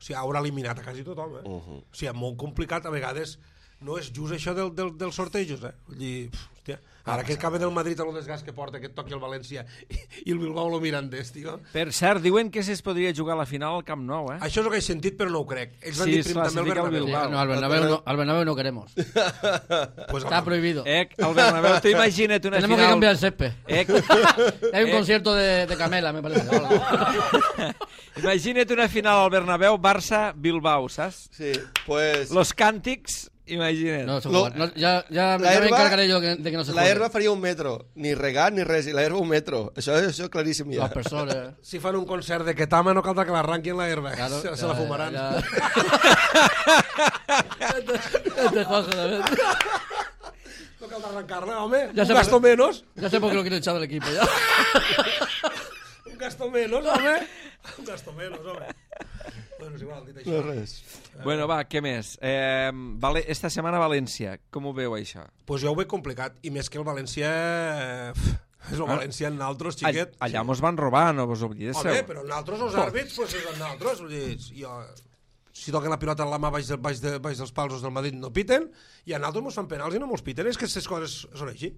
Speaker 3: O sigui, haurà eliminat a quasi tothom, eh?
Speaker 4: Uh -huh.
Speaker 3: O sigui, molt complicat, a vegades no és just això del, del, dels sortejos, eh? Vull dir, pf, hòstia, ara que acaba del Madrid a lo desgast que porta, que et toqui el València i, i el Bilbao lo miren d'est, tio.
Speaker 1: Per cert, diuen que es podria jugar a la final al Camp Nou, eh?
Speaker 3: Això és el que he sentit, però no ho crec. Ells van
Speaker 1: Sí,
Speaker 3: dir
Speaker 1: es
Speaker 3: prim també el
Speaker 1: classifica el
Speaker 3: Bernabéu.
Speaker 1: Bilbao.
Speaker 2: No, al Bernabéu no, al Bernabéu no queremos.
Speaker 3: Pues,
Speaker 2: Está prohibido.
Speaker 1: Eh, al Bernabéu, tú imagina't una
Speaker 2: Tenemos
Speaker 1: final...
Speaker 2: que cambiar el césped.
Speaker 1: Eh,
Speaker 2: Hay un
Speaker 1: eh,
Speaker 2: concierto de, de Camela, me parece.
Speaker 1: imagina't una final al Bernabéu, Barça-Bilbao, saps?
Speaker 4: Sí, pues...
Speaker 1: Los càntics, imagina't.
Speaker 2: No, se
Speaker 4: Lo-
Speaker 2: juega. No, ya, ya,
Speaker 4: La
Speaker 2: ya me
Speaker 4: herba-
Speaker 2: encargaré yo de que, de que no se
Speaker 4: La
Speaker 2: juegue.
Speaker 4: herba faria un metro, ni regat ni res, i la herba un metro. Això, això és claríssim ja.
Speaker 2: Los personas.
Speaker 3: si fan un concert de Ketama no caldrà que l'arranquin la herba.
Speaker 2: Claro,
Speaker 3: se, se
Speaker 2: ya,
Speaker 3: la fumaran.
Speaker 2: ya. Este Juanjo también.
Speaker 3: No caldrà arrancar-la, home.
Speaker 2: Ja
Speaker 3: un
Speaker 2: sé
Speaker 3: gasto
Speaker 2: per-
Speaker 3: menos.
Speaker 2: Ya sé por qué lo quiero echar del equipo ya.
Speaker 3: Un gasto menos, home. Un gasto menos, home. Bueno, és igual, dit això.
Speaker 4: No res.
Speaker 1: Bueno, va, què més? Eh, vale, esta setmana a València, com ho veu, això?
Speaker 3: Pues jo ho veig complicat, i més que el València... eh, És el
Speaker 1: Ah.
Speaker 3: València en naltros,
Speaker 1: All,
Speaker 3: xiquet.
Speaker 1: allà mos van robar, no vos oblidéssiu.
Speaker 3: Home, però en naltros els àrbits, pues és en naltros. Vull dir, jo, si toquen la pilota en la mà baix, de, baix, de, baix dels pals del Madrid no piten, i a naltros mos fan penals i no mos piten. És que aquestes coses són així.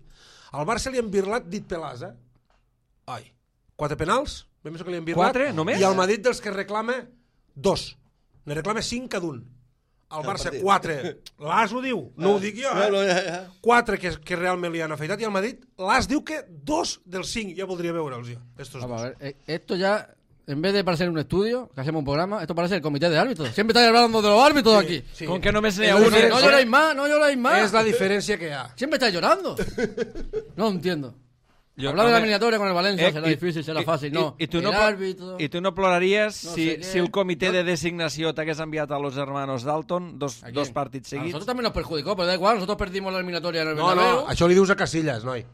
Speaker 3: Al Barça li han birlat dit pelàs, eh? Ai, quatre penals, ben més que li han birlat.
Speaker 1: Quatre, només?
Speaker 3: I al Madrid dels que reclama, dos. Ne reclama cinc cada un. Al Barça,
Speaker 4: partit.
Speaker 3: quatre. L'As ho diu, no ho dic jo,
Speaker 4: No, no,
Speaker 3: eh?
Speaker 4: ja, ja.
Speaker 3: Quatre que, que realment li han afeitat, i al Madrid l'As diu que dos dels cinc, ja voldria veure'ls jo, estos
Speaker 2: Vamos a
Speaker 3: dos.
Speaker 2: ver, eh, esto ya, en vez de parecer un estudio, que hacemos un programa, esto parece el comité de árbitros. Siempre estáis hablando de los árbitros
Speaker 3: Sí,
Speaker 2: aquí.
Speaker 3: sí.
Speaker 1: Com que només n'hi
Speaker 3: És
Speaker 1: ha
Speaker 3: la
Speaker 1: un...
Speaker 2: No
Speaker 3: diferència.
Speaker 2: lloréis más, no lloréis más.
Speaker 3: És la diferència que hi ha.
Speaker 2: Siempre estáis llorando. No entiendo.
Speaker 1: Jo-
Speaker 2: Hablar de la
Speaker 1: home,
Speaker 2: eliminatoria con el Valencia
Speaker 1: eh,
Speaker 2: será
Speaker 1: i-
Speaker 2: difícil, será
Speaker 1: i-
Speaker 2: fácil.
Speaker 1: i-
Speaker 2: No,
Speaker 1: i tu
Speaker 2: el
Speaker 1: no, plo-
Speaker 2: árbitro...
Speaker 1: I tu no ploraries
Speaker 2: No
Speaker 1: si,
Speaker 2: sé què.
Speaker 1: si el comitè
Speaker 2: No.
Speaker 1: de designació t'hagués enviat a los hermanos Dalton dos,
Speaker 2: ¿A quién?
Speaker 1: dos partits
Speaker 2: A
Speaker 1: seguits?
Speaker 2: nosotros también nos perjudicó, pero da igual, nosotros perdimos la eliminatoria en el
Speaker 3: No,
Speaker 2: Bernabéu.
Speaker 3: no, això li dius a Casillas, noi.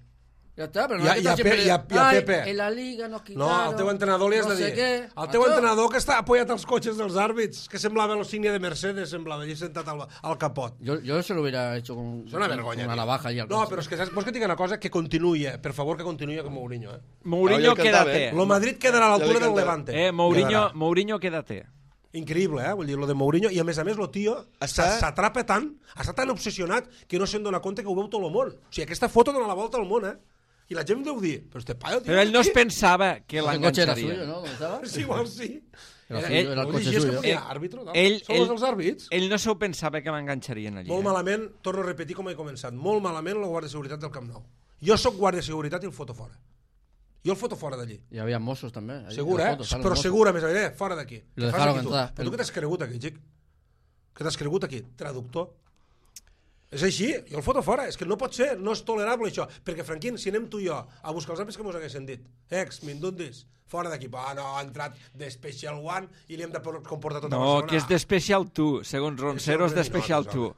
Speaker 2: Ya está, pero no
Speaker 3: I a-
Speaker 2: hay que
Speaker 3: i a
Speaker 2: estar
Speaker 3: Pe-
Speaker 2: siempre...
Speaker 3: i a- i a
Speaker 2: Ay,
Speaker 3: Pepe.
Speaker 2: en la liga nos
Speaker 3: No,
Speaker 2: quitaron...
Speaker 3: al teu entrenador li has
Speaker 2: no
Speaker 3: de dir.
Speaker 2: sé què.
Speaker 3: El teu
Speaker 2: Macho,
Speaker 3: entrenador que està apoyat als cotxes dels àrbits, que semblava l'insignia de Mercedes, semblava, allà sentat al, al capot.
Speaker 2: Yo, yo se lo hubiera hecho con,
Speaker 3: És una
Speaker 2: con-
Speaker 3: vergonya.
Speaker 2: con una
Speaker 3: tio.
Speaker 2: navaja y al
Speaker 3: No, però és que saps, vols que et digui una cosa? Que continuï, eh? Per favor, que continuï com Mourinho, eh?
Speaker 1: Mourinho,
Speaker 4: Ja li cantava,
Speaker 1: quédate.
Speaker 4: eh?
Speaker 3: Lo Madrid quedarà a l'altura
Speaker 4: Ja li
Speaker 3: del
Speaker 4: cantava.
Speaker 3: Levante.
Speaker 1: Eh, Mourinho,
Speaker 3: Quedarà.
Speaker 1: Mourinho, quédate.
Speaker 3: Increïble, eh? Vull dir, lo de Mourinho, i a més a més, lo tio
Speaker 4: Està-
Speaker 3: s'atrapa tant, està tan obsessionat que no se'n dona compte que ho veu tot el món. O sigui, aquesta foto dona la volta al món, eh? I la gent deu dir, però este paio, tio...
Speaker 1: Però ell no es
Speaker 3: qui-
Speaker 1: pensava que
Speaker 2: El coche era
Speaker 1: l'enganxaria.
Speaker 2: suyo, ¿no? ¿Dónde estaba?
Speaker 3: Sí, igual sí.
Speaker 2: Era
Speaker 3: Era,
Speaker 2: suyo,
Speaker 3: ell,
Speaker 2: era el
Speaker 3: no
Speaker 2: coche
Speaker 3: llegies
Speaker 2: suyo.
Speaker 3: que ponia àrbitro, no?
Speaker 1: Ell,
Speaker 3: Són
Speaker 1: ell,
Speaker 3: els dels àrbits.
Speaker 1: ell no s'ho pensava que m'enganxarien allí.
Speaker 3: Molt
Speaker 1: Eh?
Speaker 3: malament, torno a repetir com he començat, molt malament la Guàrdia de Seguretat del Camp Nou. Jo sóc Guàrdia de Seguretat i el foto fora. Jo el foto fora d'allí.
Speaker 2: Y había mozos también. ahí,
Speaker 3: Segur,
Speaker 2: las
Speaker 3: eh?
Speaker 2: fotos, salen
Speaker 3: Però
Speaker 2: mozos.
Speaker 3: segur, a més a més, eh? Fora d'aquí.
Speaker 2: Lo
Speaker 3: Què fas
Speaker 2: dejaron
Speaker 3: aquí, tu?
Speaker 2: entrar.
Speaker 3: Però tu què t'has cregut aquí, xic? Què t'has cregut aquí? Traductor? És així, jo el foto fora, és que no pot ser, no és tolerable això, perquè Franquín, si anem tu i jo a buscar els àmbits que mos haguessin dit, ex, mindundis, fora d'aquí, ah no, ha entrat de Special One i li hem de comportar tota
Speaker 1: No,
Speaker 3: Barcelona.
Speaker 1: que és de Special two, segons Ronceros de Special
Speaker 3: no,
Speaker 1: two.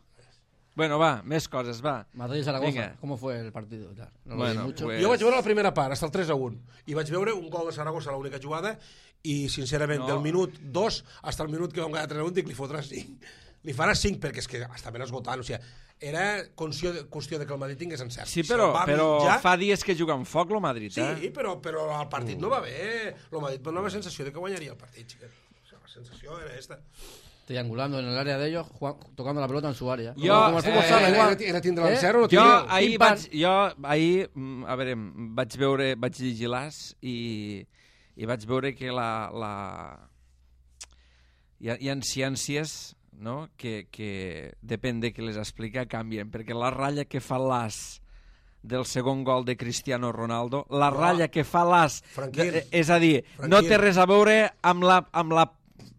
Speaker 1: Bueno, va, més coses, va.
Speaker 2: Madrid y Zaragoza,
Speaker 1: Venga.
Speaker 2: ¿cómo fue el partido? Ya, no lo
Speaker 1: Bueno,
Speaker 2: vi mucho.
Speaker 1: pues-
Speaker 3: Jo vaig veure la primera part, hasta el tres a un, i vaig veure un gol de Saragossa a l'única jugada, i sincerament,
Speaker 1: No.
Speaker 3: del minut dos fins al minut que vam guanyar tres a un, dic, li fotrà cinc. Li farà cinc, perquè és que estaven esgotant, o sigui, era qüestió de, qüestió de que el Madrid tingués encert.
Speaker 1: Sí,
Speaker 3: Si el
Speaker 1: però,
Speaker 3: va
Speaker 1: però
Speaker 3: mitjar-
Speaker 1: fa dies que juga amb foc, lo Madrid,
Speaker 3: Sí,
Speaker 1: eh?
Speaker 3: però, però el partit no va bé. El Madrid no va sensació de que guanyaria el partit, xiquet. sensació era esta.
Speaker 2: Triangulando en el área de ellos, Juan, tocando la pelota en su área.
Speaker 1: Jo,
Speaker 2: Como el fútbol
Speaker 1: eh,
Speaker 2: sala,
Speaker 3: Era,
Speaker 2: igual.
Speaker 3: era, era tindre
Speaker 2: Eh?
Speaker 3: l'encert o no
Speaker 1: Jo
Speaker 3: tindre...
Speaker 1: ahir,
Speaker 2: Pim, pam.
Speaker 1: vaig, jo ahir, mm, a veure, vaig veure, vaig llegir l'As i, i vaig veure que la... la... Hi, ha, hi ha ciències, no?, que, que depèn de qui les explica, canvien, perquè la ratlla que fa l'As del segon gol de Cristiano Ronaldo, la
Speaker 3: No.
Speaker 1: ratlla que fa l'As,
Speaker 3: Franquín.
Speaker 1: de- és a dir, no
Speaker 3: Franquín.
Speaker 1: té res a veure amb la, amb la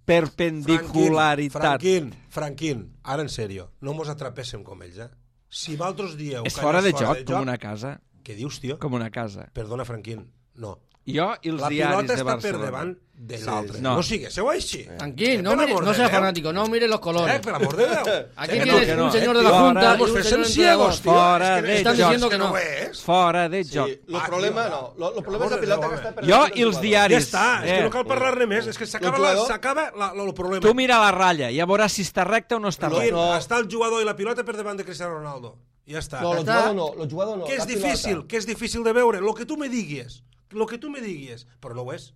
Speaker 1: perpendicularitat.
Speaker 3: Franquín, Franquín, ara en sèrio, no mos atrapéssim com ells, eh? Si vosaltres dieu...
Speaker 1: És
Speaker 3: que
Speaker 1: fora
Speaker 3: allò
Speaker 1: de joc, com una casa.
Speaker 3: Què dius, tio?
Speaker 1: Com una casa.
Speaker 3: Perdona, Franquín, no.
Speaker 1: Jo i els
Speaker 3: La
Speaker 1: diaris
Speaker 3: pilota
Speaker 1: de
Speaker 3: està per
Speaker 1: Barcelona.
Speaker 3: davant de
Speaker 4: Sí,
Speaker 3: l'altre.
Speaker 1: no.
Speaker 3: No siguéssiu així.
Speaker 2: Tranquil, no,
Speaker 3: Per
Speaker 2: mire,
Speaker 3: amor
Speaker 2: no
Speaker 3: de
Speaker 2: sea
Speaker 3: Déu.
Speaker 2: fanático, no mire los colores.
Speaker 3: Eh, per amor de Déu.
Speaker 2: Aquí
Speaker 3: Que no,
Speaker 2: tienes
Speaker 3: que
Speaker 2: un
Speaker 3: no,
Speaker 2: señor
Speaker 3: eh,
Speaker 2: de la
Speaker 3: tio,
Speaker 2: Junta
Speaker 3: vamos
Speaker 2: y un
Speaker 3: fer
Speaker 2: señor
Speaker 3: ciegos,
Speaker 2: entrenador.
Speaker 3: tio.
Speaker 1: Fora
Speaker 3: És que
Speaker 1: de
Speaker 2: Estan
Speaker 1: joc.
Speaker 2: diciendo que
Speaker 3: que
Speaker 2: no.
Speaker 3: no és.
Speaker 1: Fora de
Speaker 4: Sí,
Speaker 1: joc.
Speaker 4: el
Speaker 3: Ah,
Speaker 4: problema
Speaker 3: tio,
Speaker 4: no. Lo, lo problema és
Speaker 3: per
Speaker 4: la
Speaker 3: amor de
Speaker 4: pilota
Speaker 3: Déu,
Speaker 4: que
Speaker 3: home.
Speaker 4: està per
Speaker 1: Jo
Speaker 4: davant del
Speaker 1: i els
Speaker 4: jugador.
Speaker 1: diaris.
Speaker 3: Ja està, és que
Speaker 1: Eh.
Speaker 3: no cal parlar-ne més, és que s'acaba
Speaker 4: El
Speaker 3: la-
Speaker 4: jugador-
Speaker 3: s'acaba la- la- el problema.
Speaker 1: Tu mira la ratlla i ja veuràs si està recta o no està
Speaker 3: Franquín,
Speaker 1: recta.
Speaker 4: No.
Speaker 3: està el jugador i la pilota per davant de Cristiano Ronaldo. Ja està.
Speaker 4: No, el
Speaker 2: Està-
Speaker 4: jugador no, el jugador no.
Speaker 3: Que és
Speaker 4: la pilota.
Speaker 3: difícil, que és difícil de veure, lo que tu me diguis, lo que tu me diguis, però no ho és,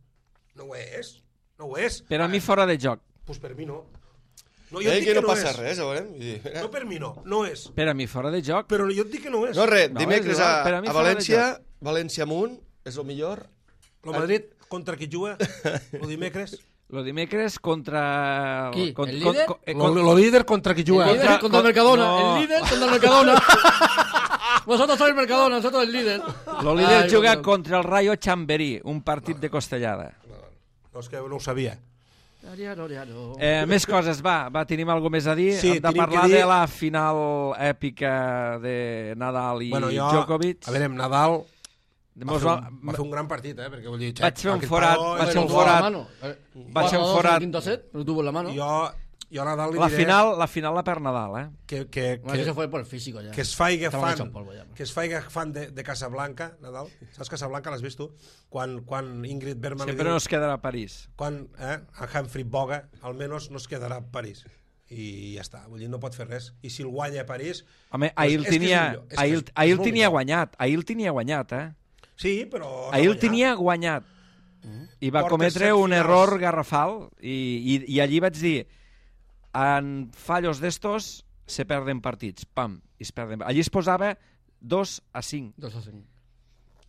Speaker 3: no ho és, no ho és.
Speaker 1: Per a mi fora de joc.
Speaker 3: Pues per mi no. No, jo
Speaker 4: Eh,
Speaker 3: et dic
Speaker 4: que
Speaker 3: que
Speaker 4: no
Speaker 3: no
Speaker 4: passa
Speaker 3: és.
Speaker 4: res, a veure. Vull dir,
Speaker 3: No per mi no, no és.
Speaker 1: Per a mi fora de joc.
Speaker 3: Però jo et dic que no és.
Speaker 4: No, res,
Speaker 1: No,
Speaker 4: dimecres
Speaker 1: és igual,
Speaker 4: a,
Speaker 1: per a mi
Speaker 4: a
Speaker 1: fora de
Speaker 4: València, València amunt, és el millor.
Speaker 3: El Madrid contra qui juga el dimecres.
Speaker 1: Lo dimecres contra...
Speaker 2: Qui?
Speaker 1: con-
Speaker 2: ¿El
Speaker 1: con-
Speaker 2: líder?
Speaker 1: con- eh,
Speaker 3: Lo,
Speaker 1: con-
Speaker 3: lo líder contra qui
Speaker 2: El
Speaker 3: juga.
Speaker 2: líder
Speaker 1: Contra-
Speaker 2: contra,
Speaker 1: con-
Speaker 2: el Mercadona,
Speaker 1: no.
Speaker 2: el líder contra el Mercadona. Vosotros sois el Mercadona, nosotros el líder.
Speaker 1: Lo líder
Speaker 2: Ai,
Speaker 1: juga
Speaker 2: perdón.
Speaker 1: contra el Rayo Chamberí, un partit de costellada.
Speaker 3: No, és que no ho sabia.
Speaker 2: Ariaro, ariaro.
Speaker 1: Eh, més coses, va, va, tenim alguna més a dir?
Speaker 3: Sí,
Speaker 1: Hem de
Speaker 3: tenim
Speaker 1: parlar
Speaker 3: que dir-
Speaker 1: de la final èpica de Nadal i
Speaker 3: Bueno, jo,
Speaker 1: Djokovic.
Speaker 3: a veure, amb Nadal va
Speaker 1: Mos
Speaker 3: fer,
Speaker 1: va-
Speaker 3: un, va fer un gran partit, eh? Perquè vull dir,
Speaker 1: Vaig fer un
Speaker 3: aquest
Speaker 1: forat,
Speaker 3: pavo
Speaker 1: vaig
Speaker 3: és
Speaker 1: fer
Speaker 3: el
Speaker 1: un
Speaker 2: tuvo
Speaker 3: bo.
Speaker 2: en la
Speaker 1: forat.
Speaker 2: mano. Eh,
Speaker 1: Vaig fer un
Speaker 2: cuatro a dos en
Speaker 1: forat.
Speaker 2: el quinto set, lo tuvo en la mano.
Speaker 3: Jo, jo a Nadal li
Speaker 1: La
Speaker 3: diré
Speaker 1: final, la final la per Nadal, eh?
Speaker 3: que, que,
Speaker 2: Bueno, que
Speaker 3: que,
Speaker 2: se fue por el físico ya.
Speaker 3: que es faiga
Speaker 2: Estaban hechos
Speaker 3: fan,
Speaker 2: polvo ya.
Speaker 3: que es faiga fan de, de Casablanca, Nadal. Saps Casablanca, l'has vist tu? Quan, quan Ingrid Bergman li
Speaker 1: Sempre
Speaker 3: diu...
Speaker 1: no es quedarà a París.
Speaker 3: Quan eh, a Humphrey Boga, almenys no es quedarà a París. I ja està, vull dir, no pot fer res. I si el guanya a París...
Speaker 1: Home,
Speaker 3: pues
Speaker 1: ahir el
Speaker 3: és que és
Speaker 1: tenia,
Speaker 3: millor, és que
Speaker 1: ahir,
Speaker 3: és- és
Speaker 1: ahir el
Speaker 3: molt
Speaker 1: tenia
Speaker 3: millor.
Speaker 1: guanyat, ahir el tenia guanyat, eh?
Speaker 3: Sí, però...
Speaker 1: Ahir el
Speaker 3: no
Speaker 1: tenia guanyat. I va
Speaker 3: Porta
Speaker 1: cometre
Speaker 3: set
Speaker 1: un
Speaker 3: finals.
Speaker 1: error garrafal i, i, i allí vaig dir en fallos d'estos se perden partits, pam, i es perden. Allí es posava dos a cinc.
Speaker 2: Dos a cinc.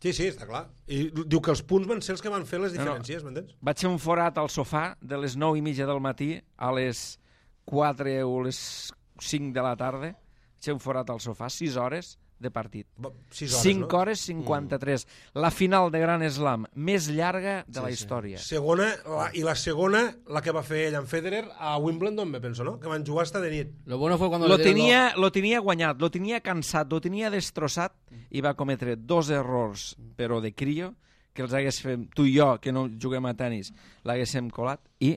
Speaker 3: Sí, sí, està clar. I diu que els punts van ser els que van fer les
Speaker 1: No, no.
Speaker 3: diferències, m'entens?
Speaker 1: Vaig fer un forat al sofà de les nou i mitja del matí a les quatre o les cinc de la tarda. Vaig fer un forat al sofà, sis hores de partit.
Speaker 3: Va, Sis hores,
Speaker 1: cinc
Speaker 3: no?
Speaker 1: hores cinquanta-tres. La final de Gran Slam més llarga de la
Speaker 4: Sí, sí.
Speaker 1: història.
Speaker 3: Segona, la, i la segona, la que va fer ell amb Federer a Wimbledon, me penso, no? Que van jugar hasta de nit.
Speaker 2: Lo bueno fue cuando
Speaker 1: Lo
Speaker 2: le dieron
Speaker 1: tenia, lo tenia guanyat, lo tenia cansat, lo tenia destrossat i va cometre dos errors, però de crio, que els hagués fet, tu i jo, que no juguem a tenis, l'haguéssim colat i,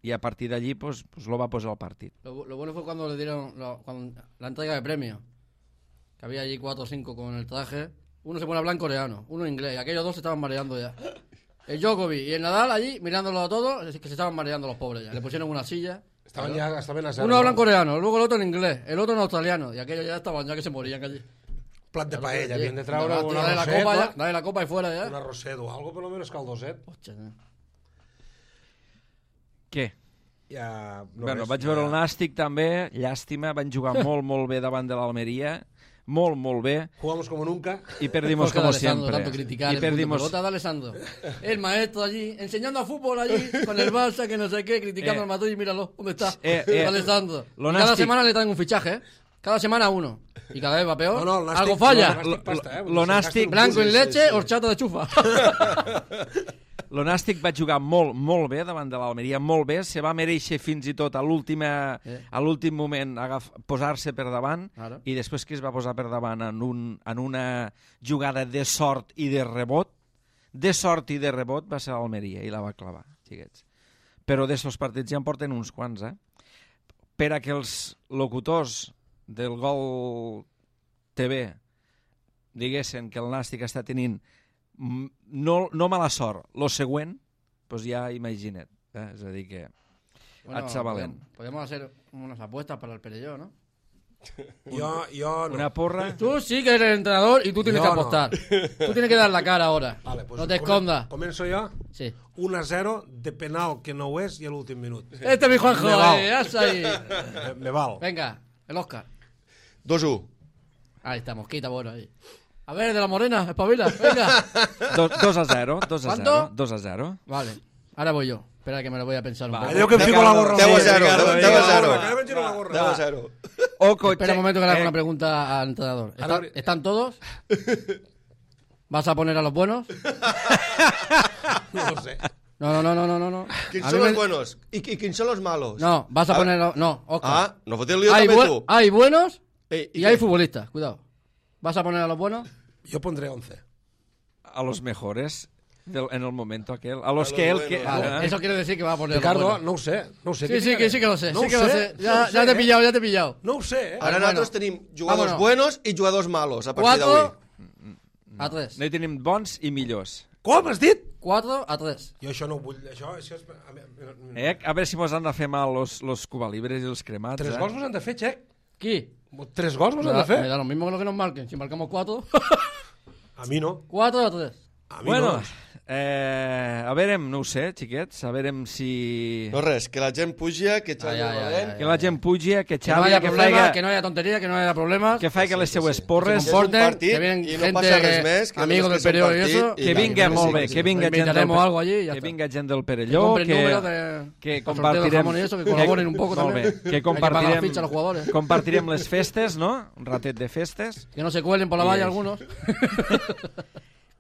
Speaker 1: i a partir d'allí pues, pues, lo va posar al partit.
Speaker 2: Lo, lo bueno fue cuando le dieron lo- cuando- la entrega de premios. Que había allí cuatro o cinco con el traje. Uno se pone a hablar en coreano, uno en inglés. Y aquellos dos se estaban mareando ya. El Djokovic y el Nadal allí, mirándolo a todos, es que se estaban mareando los pobres ya. Le pusieron una silla.
Speaker 3: Estaven ja, estaven a zero.
Speaker 2: Uno habla en coreano, luego el otro en inglés, el otro en australiano. Y aquellos ya estaban ya que se morían allí.
Speaker 3: Plat de paella,
Speaker 2: Oye,
Speaker 3: havien de treure
Speaker 2: dale,
Speaker 3: un
Speaker 2: dale la
Speaker 3: arrosset,
Speaker 2: copa ya,
Speaker 3: no?
Speaker 2: dale la copa y fuera ya.
Speaker 3: Un arrosset o algo, per lo menos caldoset.
Speaker 2: Hòstia, eh.
Speaker 1: Què?
Speaker 3: Ja, no
Speaker 1: bueno,
Speaker 3: res,
Speaker 1: vaig
Speaker 3: ja-
Speaker 1: veure el Nàstic també, llàstima, van jugar molt, molt bé davant de l'Almeria, molt, molt bé,
Speaker 3: Jugamos como nunca.
Speaker 1: y perdimos
Speaker 2: Jorge
Speaker 1: como
Speaker 2: de Alessandro,
Speaker 1: siempre.
Speaker 2: tanto criticar
Speaker 1: Y
Speaker 2: el punto de
Speaker 1: perdimos...
Speaker 2: pelota de Alessandro. El maestro allí, enseñando a fútbol allí, con el Barça, que no sé qué, criticando
Speaker 1: Eh.
Speaker 2: al Madrid, míralo, ¿dónde está?
Speaker 1: Eh, eh,
Speaker 2: Alessandro.
Speaker 1: lo
Speaker 2: Y cada
Speaker 1: Nastic-
Speaker 2: semana le traen un fichaje, ¿eh? Cada semana uno. Y cada vez va peor.
Speaker 3: No, no, el Nàstic-
Speaker 2: Algo falla.
Speaker 3: el Nàstic pasta, eh?
Speaker 1: Lo- lo Nàstic-
Speaker 2: Blanco en
Speaker 3: Sí,
Speaker 2: leche,
Speaker 3: sí.
Speaker 2: horchata de chufa.
Speaker 1: El Nàstic va jugar molt, molt bé davant de l'Almeria, molt bé, se va mereixer fins i tot a l'última,
Speaker 2: Eh.
Speaker 1: a l'últim moment agaf, posar-se per davant
Speaker 2: Ara.
Speaker 1: i després que es va posar per davant en, un, en una jugada de sort i de rebot, de sort i de rebot va ser l'Almeria i la va clavar, xiquets. Però d'estos partits ja en porten uns quants, eh? Per a que els locutors del Gol T V diguessin que el Nàstic està tenint mm, no, no mala sort, lo següent, doncs ja imagina't. Eh? És a dir que... Et sa valent.
Speaker 2: Podemos hacer unas apuestas para el Perelló, ¿no?
Speaker 3: Yo, yo no.
Speaker 1: Una porra.
Speaker 2: Tú sí que eres el entrenador y tú tienes
Speaker 3: Yo
Speaker 2: que
Speaker 3: no.
Speaker 2: apostar. Tú tienes que dar la cara ahora.
Speaker 3: Vale, pues
Speaker 2: no te
Speaker 3: come-
Speaker 2: escondas.
Speaker 3: Començo jo?
Speaker 2: Sí.
Speaker 3: un a zero de penal que no ho és i a l'últim minut.
Speaker 2: Este es mi Juanjo.
Speaker 3: Me val.
Speaker 2: eh, ya está ahí.
Speaker 3: Me, me val.
Speaker 2: Venga, el Oscar.
Speaker 4: dos uno.
Speaker 2: Ahí está, mosquita, bueno, ahí. A ver, de la morena, espabila, venga.
Speaker 1: dos a zero, dos a
Speaker 2: ¿Cuánto?
Speaker 1: zero, dos a zero.
Speaker 2: Vale, ahora voy yo. Espera que me lo voy a pensar un
Speaker 1: Vale.
Speaker 2: poco.
Speaker 3: Allò que em fico la gorra.
Speaker 4: deu a
Speaker 3: Sí,
Speaker 4: zero,
Speaker 3: Ricardo,
Speaker 4: deu a
Speaker 3: Ricardo,
Speaker 4: zero.
Speaker 3: que me giro la gorra.
Speaker 4: deu a zero.
Speaker 1: Oco,
Speaker 2: Espera un
Speaker 1: check,
Speaker 2: momento que le hago
Speaker 1: eh,
Speaker 2: una pregunta al entrenador.
Speaker 3: A
Speaker 2: ¿Están,
Speaker 3: ver.
Speaker 2: ¿Están todos? ¿Vas a poner a los buenos?
Speaker 3: No ho sé.
Speaker 2: No, no, no, no, no, no. no.
Speaker 4: Quins
Speaker 2: A
Speaker 4: són
Speaker 2: mí
Speaker 4: los
Speaker 2: me-
Speaker 4: buenos? ¿Y, y quién son los malos?
Speaker 2: No, vas a
Speaker 4: Ah,
Speaker 2: poner... a- No, Oscar.
Speaker 4: Ah, no fotis el lío
Speaker 2: hay,
Speaker 4: també
Speaker 2: bue-
Speaker 4: tu.
Speaker 2: hay buenos
Speaker 4: Eh,
Speaker 2: y
Speaker 4: què?
Speaker 2: hay futbolistas, cuidado. ¿Vas a poner a los buenos?
Speaker 3: Jo pondré once.
Speaker 1: a los mejores del- en el momento aquel. A los
Speaker 4: A
Speaker 1: que
Speaker 4: los
Speaker 1: él... que-
Speaker 4: buenos.
Speaker 2: Vale,
Speaker 1: ah,
Speaker 2: eso quiere decir que va a poner a los
Speaker 3: Ricardo,
Speaker 2: buenos.
Speaker 3: no ho sé. No ho sé.
Speaker 2: Sí,
Speaker 3: Què
Speaker 2: sí, que
Speaker 3: ficaré?
Speaker 2: sí que lo sé,
Speaker 3: No
Speaker 2: sí
Speaker 3: ho
Speaker 2: que lo sé.
Speaker 3: sé,
Speaker 2: Ya,
Speaker 3: no ho
Speaker 2: ya
Speaker 3: sé,
Speaker 2: te he
Speaker 3: eh?
Speaker 2: pillado, ya te he pillado.
Speaker 3: No ho sé, eh?
Speaker 4: Ara
Speaker 2: Bueno.
Speaker 4: nosaltres tenim jugadors
Speaker 2: Vámonos.
Speaker 4: buenos i jugadors malos a partir d'avui.
Speaker 2: Cuatro a tres.
Speaker 1: no hi tenim bons i millors.
Speaker 3: Com has dit?
Speaker 2: Cuatro a tres.
Speaker 3: Jo això no ho vull. Això, això és... a mi-
Speaker 1: Eh? A veure si mos han de fer mal los, los cubalibres i els cremats.
Speaker 3: Tres
Speaker 1: eh?
Speaker 3: gols vos han de fer, Xec.
Speaker 2: ¿Qué?
Speaker 3: Tres gols vos
Speaker 2: Me
Speaker 3: han
Speaker 2: da,
Speaker 3: de
Speaker 2: me
Speaker 3: fer.
Speaker 2: da lo mismo que lo que nos marquen. Si marcamos cuatro,
Speaker 3: A mi no.
Speaker 2: cuatro a tres.
Speaker 3: A mi
Speaker 1: Bueno,
Speaker 3: no.
Speaker 1: eh, a veure, no ho sé, xiquets, a veure si...
Speaker 4: No res, que la gent puja, que Xavi
Speaker 2: Ai, ai, ai,
Speaker 4: valent.
Speaker 2: ai.
Speaker 1: Que la gent pugi, que
Speaker 2: Que no
Speaker 1: Xavi,
Speaker 2: haya
Speaker 1: que,
Speaker 2: problemas,
Speaker 1: faiga,
Speaker 2: que no haya tontería, que no haya problemas.
Speaker 1: que faiga les seues
Speaker 4: sí.
Speaker 1: porres,
Speaker 2: se
Speaker 4: és un
Speaker 2: comporten,
Speaker 4: partit
Speaker 2: que vienen
Speaker 4: i no
Speaker 2: gente
Speaker 4: passa res
Speaker 2: que-
Speaker 4: més, que
Speaker 2: amigos
Speaker 4: només
Speaker 2: del
Speaker 4: que és un
Speaker 2: periodo y
Speaker 4: partit
Speaker 2: eso,
Speaker 4: i
Speaker 1: que
Speaker 4: va,
Speaker 1: vinga,
Speaker 4: sí,
Speaker 1: molt
Speaker 4: sí,
Speaker 1: bé,
Speaker 4: sí.
Speaker 1: que vinga gent del,
Speaker 2: Invitaremos algo allí y ya
Speaker 1: que
Speaker 2: está.
Speaker 1: vinga gent del
Speaker 2: Que
Speaker 1: Perelló,
Speaker 2: compren
Speaker 1: que,
Speaker 2: números de...
Speaker 1: que
Speaker 2: para sorteo del
Speaker 1: compartirem...
Speaker 2: jamón y eso, que colaboren un poco
Speaker 1: molt
Speaker 2: también.
Speaker 1: bé, que
Speaker 2: Hay que pagar la
Speaker 1: compartirem,
Speaker 2: ficha a los jugadores.
Speaker 1: compartirem les festes, no? Un ratet de festes.
Speaker 2: Que no se cuelen por la valla
Speaker 1: Yes.
Speaker 2: algunos.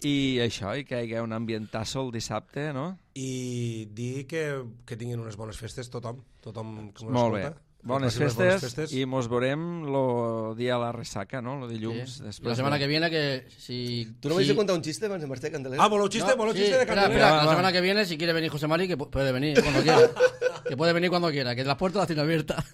Speaker 1: I això, i que hi hagi un ambientasso el dissabte, no?
Speaker 3: I dir que, que tinguin unes bones festes tothom. Tothom que mos
Speaker 1: Molt bé.
Speaker 3: escolta. Que
Speaker 1: Bones
Speaker 3: passi unes
Speaker 1: festes,
Speaker 3: bones festes.
Speaker 1: i mos veurem el dia de la ressaca, no? El dilluns.
Speaker 2: Sí.
Speaker 1: Després
Speaker 2: La semana
Speaker 1: de...
Speaker 2: que viene que si...
Speaker 4: Tu no
Speaker 2: si...
Speaker 4: vais a contar un xiste abans de marxar, Candeler?
Speaker 3: Ah, voleu xiste?
Speaker 2: No,
Speaker 3: voleu
Speaker 2: sí,
Speaker 3: xiste de
Speaker 2: espera,
Speaker 3: Candelera?
Speaker 2: espera,
Speaker 1: Va,
Speaker 2: la
Speaker 1: va.
Speaker 2: semana que viene, si quiere venir José Mari, que pu- puede venir cuando quiera. Que puede venir cuando quiera, que las puertas las tiene abiertas.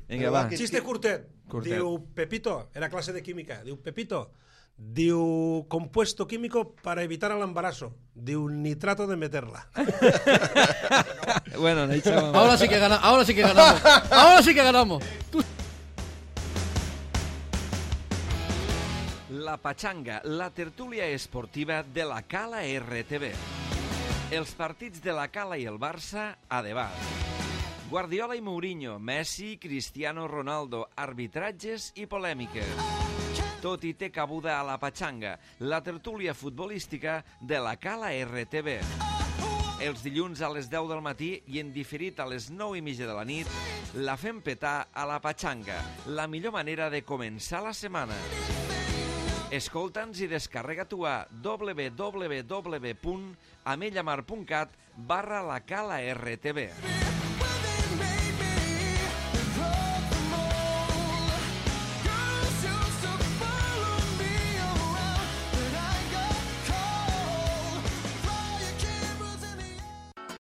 Speaker 1: Vinga, va.
Speaker 4: Que-
Speaker 3: Xiste curtet.
Speaker 1: Curtet.
Speaker 3: Diu Pepito, era clase de química. Diu Pepito, diu compuesto químico para evitar el embarazo. Diu nitrato de meterla.
Speaker 1: Bueno, no hi sabem.
Speaker 2: Ahora sí que ganamos, ahora sí que ganamos. Ahora sí que ganamos.
Speaker 1: La Pachanga, la tertúlia esportiva de la Cala R T B. Els partits de la Cala i el Barça a debat. Guardiola i Mourinho, Messi, Cristiano Ronaldo, arbitratges i polèmiques. Tot i té cabuda a la Pachanga, la tertúlia futbolística de la Cala R T B. Els dilluns a les deu del matí i en diferit a les nou i mitja de la nit, la fem petar a la Pachanga, la millor manera de començar la setmana. Escolta'ns i descarrega tu a w w w punt amellamar punt cat barra la Cala R T B.